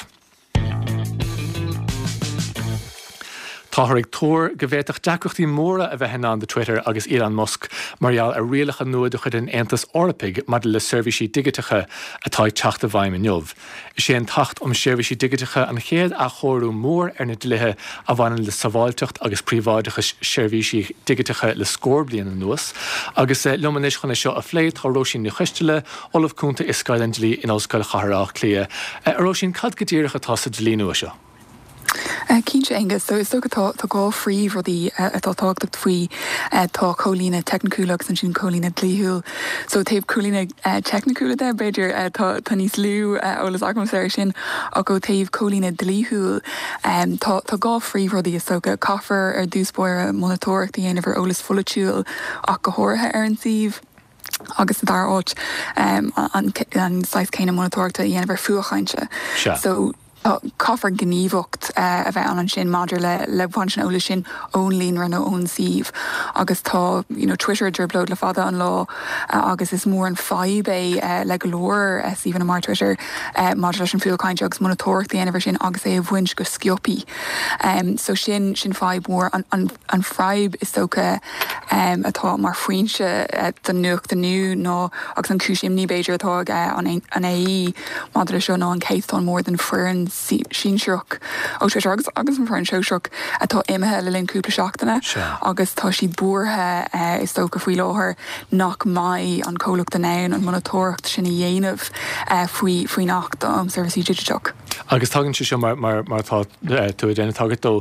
Táthar ag tuar go bhféadfadh deacrachtaí móra a bheith i ndán do Twitter agus Elon Musk mar gheall ar rialacha nua de chuid an Aontais Eorpaigh maidir le seirbhísí digiteacha atá ag teacht i bhfeidhm inniu. Is é an tAcht um Sheirbhísí Digiteacha an chéad athchóiriú mór ar na dlíthe a bhaineann le sábháilteacht agus príobháideachas seirbhísí digiteacha le scór bliain anuas. Agus liom anois chun é seo a phlé tá Róisín Ní Choisteala, Ollamh Cúnta i Scoil an Dlí in Ollscoil Chathair Átha Cliath. A Róisín, cad go díreach atá sa dlí nua seo? Cinnte, Aengus. So, is dócha tá tá dhá phríomhrudaí atá tábhachtach faoi. Tá comhlíonadh teicniciúil agus ansin comhlíonadh dlíthiúil. So, taobh comhlíonadh teicniciúil de, b'fhéidir, tá tá níos lú eolas agamsa air sin, ach ó taobh comhlíonadh dlíthiúil, tá tá dhá phríomhrudaí is dócha. Caithfear ar dtús báire monatóireacht a dhéanamh ar eolas pholaitiúil ach go háirithe ar an suíomh. agus sa dara háit an saghas céanna monatóireachta a dhéanamh ar fuath chainte. So caithfear gníomhaíocht a bheith ann ansin maidir le le baint an eolais sin ón líonra nó ón suíomh agus tá you know Twitter i dtrioblóid le fada an lá agus is mór an fadhb é le go leor suíomhanna mar Twitter maidir leis an fuath cainte agus monatóireacht a dhéanamh ar sin agus é a bhaint go sciobthaí. So sin sin fadhb mhór. An an fadhb is dócha atá mar foinse don nuacht inniu ná, agus an chúis imní b'fhéidir atá ag an AE maidir leis seo ná an céatadán mór den foireann sinsearach ó Twitter agus agus an foireann shóisearach atá imithe le linn cúpla seachtaine agus tá siad buartha is dócha faoi láthair nach mbeidh an comhlacht in ann an monatóireacht sin a dhéanamh faoi faoin Acht um Seirbhísí Digiteach. Agus tagann sé seo mar mar mar atá tú ag déanamh tagairt dó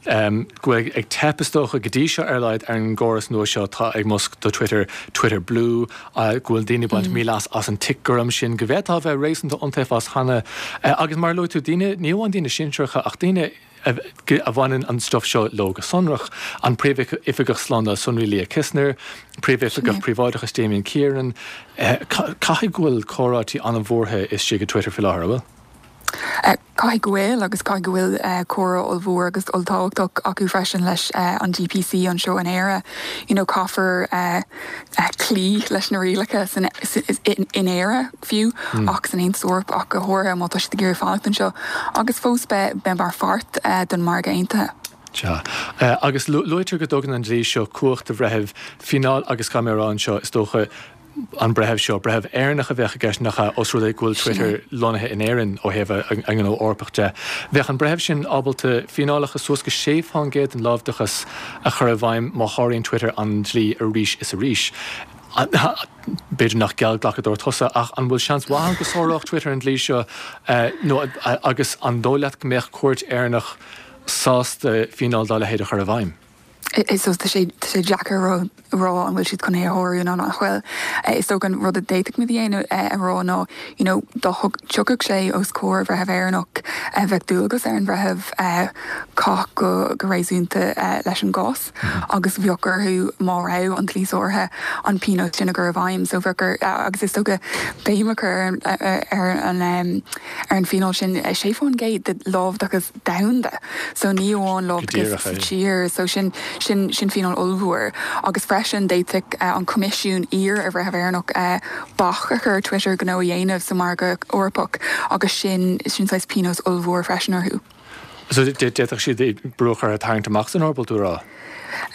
go bhfuil ag teip, is dócha, go dtí seo ar a laghad, ar an gcóras nua seo atá ag Musk do Twitter, Twitter Blue, go bhfuil daoine ag baint mí-leas as an tic gorm sin, go bhféadfá a bheith réasúnta iontaofa as cheana. Agus mar a luaigh tú, daoine, ní amháin daoine sinsearacha ach daoine a bhaineann an stuif seo leo go sonrach, an Príomhoifigeach Slándáil Sonraí Lea Kissner, Príomhoifigeach Príobháideachais Damien Kieran, caithfidh go bhfuil comhráití an-bhuartha istigh i Twitter faoi láthair, an bhfuil? Caithfidh go bhfuil, agus caithfidh go bhfuil comhrá ollmhór agus olltábhachtach acu freisin leis an DPC anseo in Éire. You know, caithfear cloí leis na rialacha san, in Éire fiú, ach san Aontas Eorpach ach go háirithe má tá siad ag iarraidh fanacht anseo agus fós beith mar pháirt den margadh aontaithe. Sea. Agus luaitear go dtugann an dlí seo cumhacht do bhreithimh fíneáil agus caithfidh mé a rá anseo, is dócha, an breitheamh seo, breitheamh Éireannach a bheadh i gceist, nach ea, ós rud é go bhfuil Twitter lonnaithe in Éirinn ó thaobh a ngnó Eorpach de. Bheadh an breitheamh sin ábalta fíneálacha suas go 6% den láimhdeachas a chur i bhfeidhm má sháraíonn Twitter an dlí arís is arís. B'fhéidir nach geallghlacadóir tusa, ach an bhfuil seans mhaith ann go sáródh Twitter an dlí seo nó agus an dóigh leat go mbeadh cúirt Éireannach sásta fíneáil dá leithéid a chur i bhfeidhm? Is tá sé tá sé deacair a rá an bhfuil siad chun é a shárú nó nach bhfuil. Is dócha an rud a d'fhéadfadh muid a dhéanamh a rá ná you know dá dtiocfadh sé os comhair bhreitheamh Éireannach bheadh dualgas ar an bhreitheamh caitheamh go go réasúnta leis an gcás agus bheadh orthu má raibh an dlí sáraithe an pionós sin a chur i bhfeidhm. So bheadh ar agus is dócha béim a chur ar ar an ar an bhfíneáil sin 6% de láimhdeachas domhanda. So ní amháin láimhdeachas sa tír, so sin, sin, sin fíneáil ollmhór. Agus freisin d'fhéadfadh an Coimisiún iarraidh ar bhreitheamh Éireannach bac a chur ar Twitter gnó a dhéanamh sa mhargadh Eorpach agus sin, sin saghas pionós ollmhór freisin orthu. So d'fhéadfadh siad brú a chur orthu tarraingt amach as an Eoraip, bhfuil tú a rá?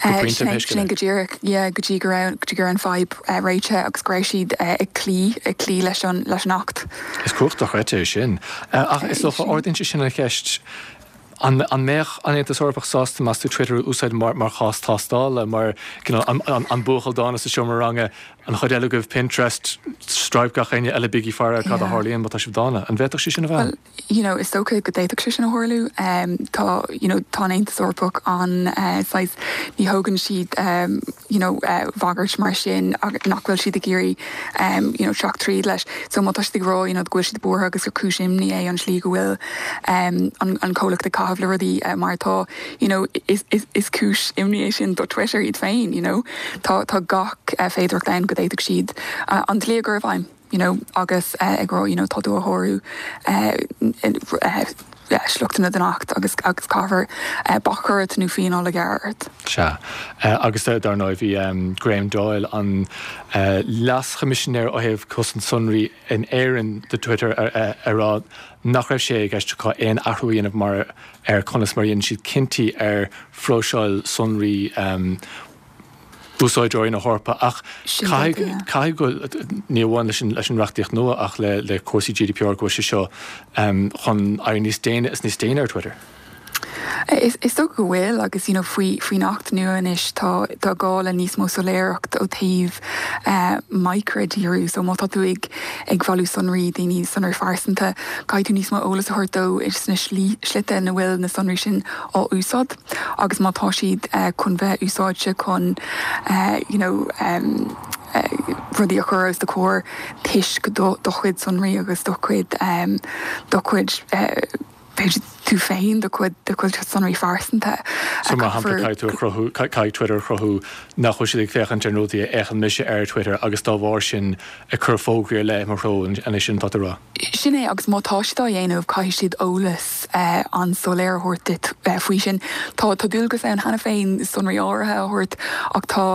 Go pointe, pé scéal é. Sin go díreach, yeah, go dtí go raibh, go dtí go raibh an fadhb réitithe agus go raibh siad ag cloí, ag cloí leis an, leis an Acht. Is cumhacht dochreidte é sin. Ach is dócha, ardaíonn sé sin an cheist, An mbeadh an Aontas Eorpach sásta, meas tú, Twitter a úsáid mar chás tástála, mar you know an buachaill dána sa seomra ranga, an chuid eile agaibh Pinterest, Stripe, gach éinne eile bígí ag faire ar cad a tharlaíonn má tá sibh dána. An bhféadfadh sé sin a bheith ann? You know, is dócha go d'fhéadfadh sé sin a tharlú. Tá, you know, tá an Aontas Eorpach an saghas, ní thógann siad, you know, bagairt mar sin nach bhfuil siad ag iarraidh, you know, teacht tríd leis. So má tá siad ag rá, you know, go bhfuil siad buartha agus gur cúis imní é an tslí go bhfuil an comhlacht ag caitheamh le rudaí mar atá, you know, is, is, is cúis imní é sin do Twitter iad féin, you know. Tá, tá gach féidearthacht ann go d'fhéadfadh siad an dlí a chur i bhfeidhm. you know agus ag rá you know tá tú a shárú sliochtanna den Acht agus agus caithfear bac a chur ort nó fíneáil a ghearradh ort. Sea. Agus dar ndóigh bhí Graham Doyle, an Leas-Choimisinéir ó thaobh Cosaint Sonraí in Éirinn do Twitter ag rá nach raibh sé i gceist acu aon athrú a dhéanamh mar ar conas mar a dhéanann siad cinntí ar phróiseáil sonraí úsáideoirí na hEorpa ach caithfidh, caithfidh go, ní amháin leis an, leis an reachtaíocht nua ach le, le cúrsaí GDPR go bhfuil sé seo chun éirí níos déine is níos déine ar Twitter. Is, is dócha go bhfuil agus you know faoi, faoin Acht nua anois tá, tá gá le níos mó soiléireacht ó taobh micridhíriú. So má tá tú ag, ag bailiú sonraí daoine, sonraí phearsanta, caithfidh tú níos mó eolas a thabhairt dó sna slí, slite ina bhfuil na sonraí sin á úsáid. agus má tá siad chun bheith úsáidte chun you know rudaí a chur os do chomhair toisc do chuid sonraí agus do chuid do chuid b'fhéidir tú féin, do chuid do chuid sonraí phearsanta. So mar shampla caithfidh tú a chruthú, caithfidh Twitter a chruthú nach bhfuil siad ag féachaint ar na rudaí a fhéachann mise ar Twitter agus dá bharr sin ag cur fógraí ar leith i mo threo, an é sin atá tú a rá? Sin é, agus má tá siad á dhéanamh, caithfidh siad eolas an-soiléir a thabhairt duit faoi sin. Tá dualgas ann cheana féin sonraí áirithe a thabhairt ach tá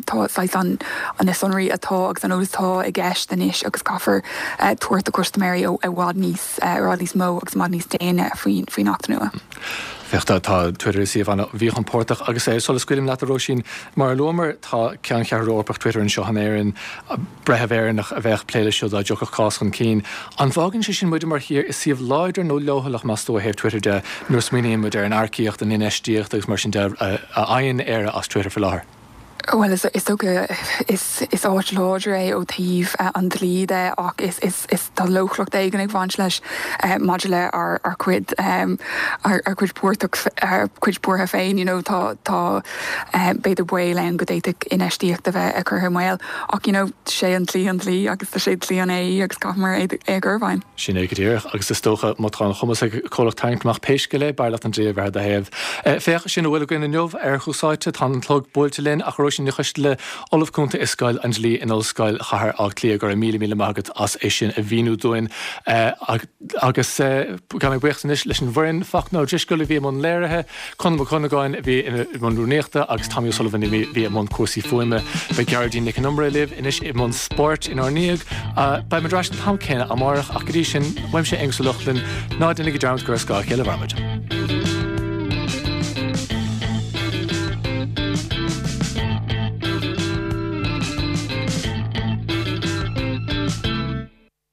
tá saghas an na sonraí atá agus an eolas atá i gceist anois agus caithfear tabhairt do chustaiméirí i bhfad níos i bhfad níos mó agus i bhfad níos déine faoin Acht nua. Féach, tá Twitter i suíomh an-mhíchompordach agus sula scaoilim leat a Róisín, mar a luamar, tá ceanncheathrú Eorpach Twitter anseo in Éirinn, breitheamh Éireannach a bheadh ag plé leis seo dá dtiocfadh cás chun cinn. An bhfágann sé sin muide mar thír i suíomh láidir nó leochaileach, meas tú, ó thaobh Twitter de, nuair a smaoiníonn muid ar an earcaíocht, an infheistíocht agus mar sin de a fhaigheann Éire as Twitter faoi láthair? Bhuel, is dócha, is áit láidir é ó thaobh an dlí de ach is, is, tá leochaileacht éigin ag baint leis maidir le ár cuid, ár cuid buartach, ár cuid buartha féin, you know, tá, tá b'fhéidir baol ann go d'fhéadfadh infheistíocht a bheith curtha i mbaol ach, you know, sé an dlí an dlí agus tá sé dlí an AE agus caithfimid é a chur i bhfeidhm. Sin é go díreach, agus is dócha, má tá an chumas ag comhlacht tarraingt amach pé scéal é, b'fhearr leat an dlí a bheith ar do thaobh. Féach, sin a bhfuil againn inniu ar Thús Áite. Tá an clog buailte linn, ach a Róisín Ní Choisteala, Ollamh Cúnta i Scoil an Dlí in Ollscoil Chathair Átha Cliath, go raibh míle míle maith agat as é sin a mhíniú dúinn. Agus gabh mé buíochas anois leis an bhfoireann, Fachtna Ó Drisceoil a bhí i mbun léirithe, Conall Mac Cuinneagáin a bhí i mbun rúnaíochta agus Tommy O'Sullivan a bhí i mbun cúrsaí fuaime. Beidh Gearóidín Nic an Iomaire libh anois i mbun spóirt inár ndiaidh. Beidh muid ar ais an t-am céanna amárach ach go dtí sin, uaimse Aonghus Ó Lochlainn, ná déanaigí dearmad gur ar scáth a chéile a mhairimid.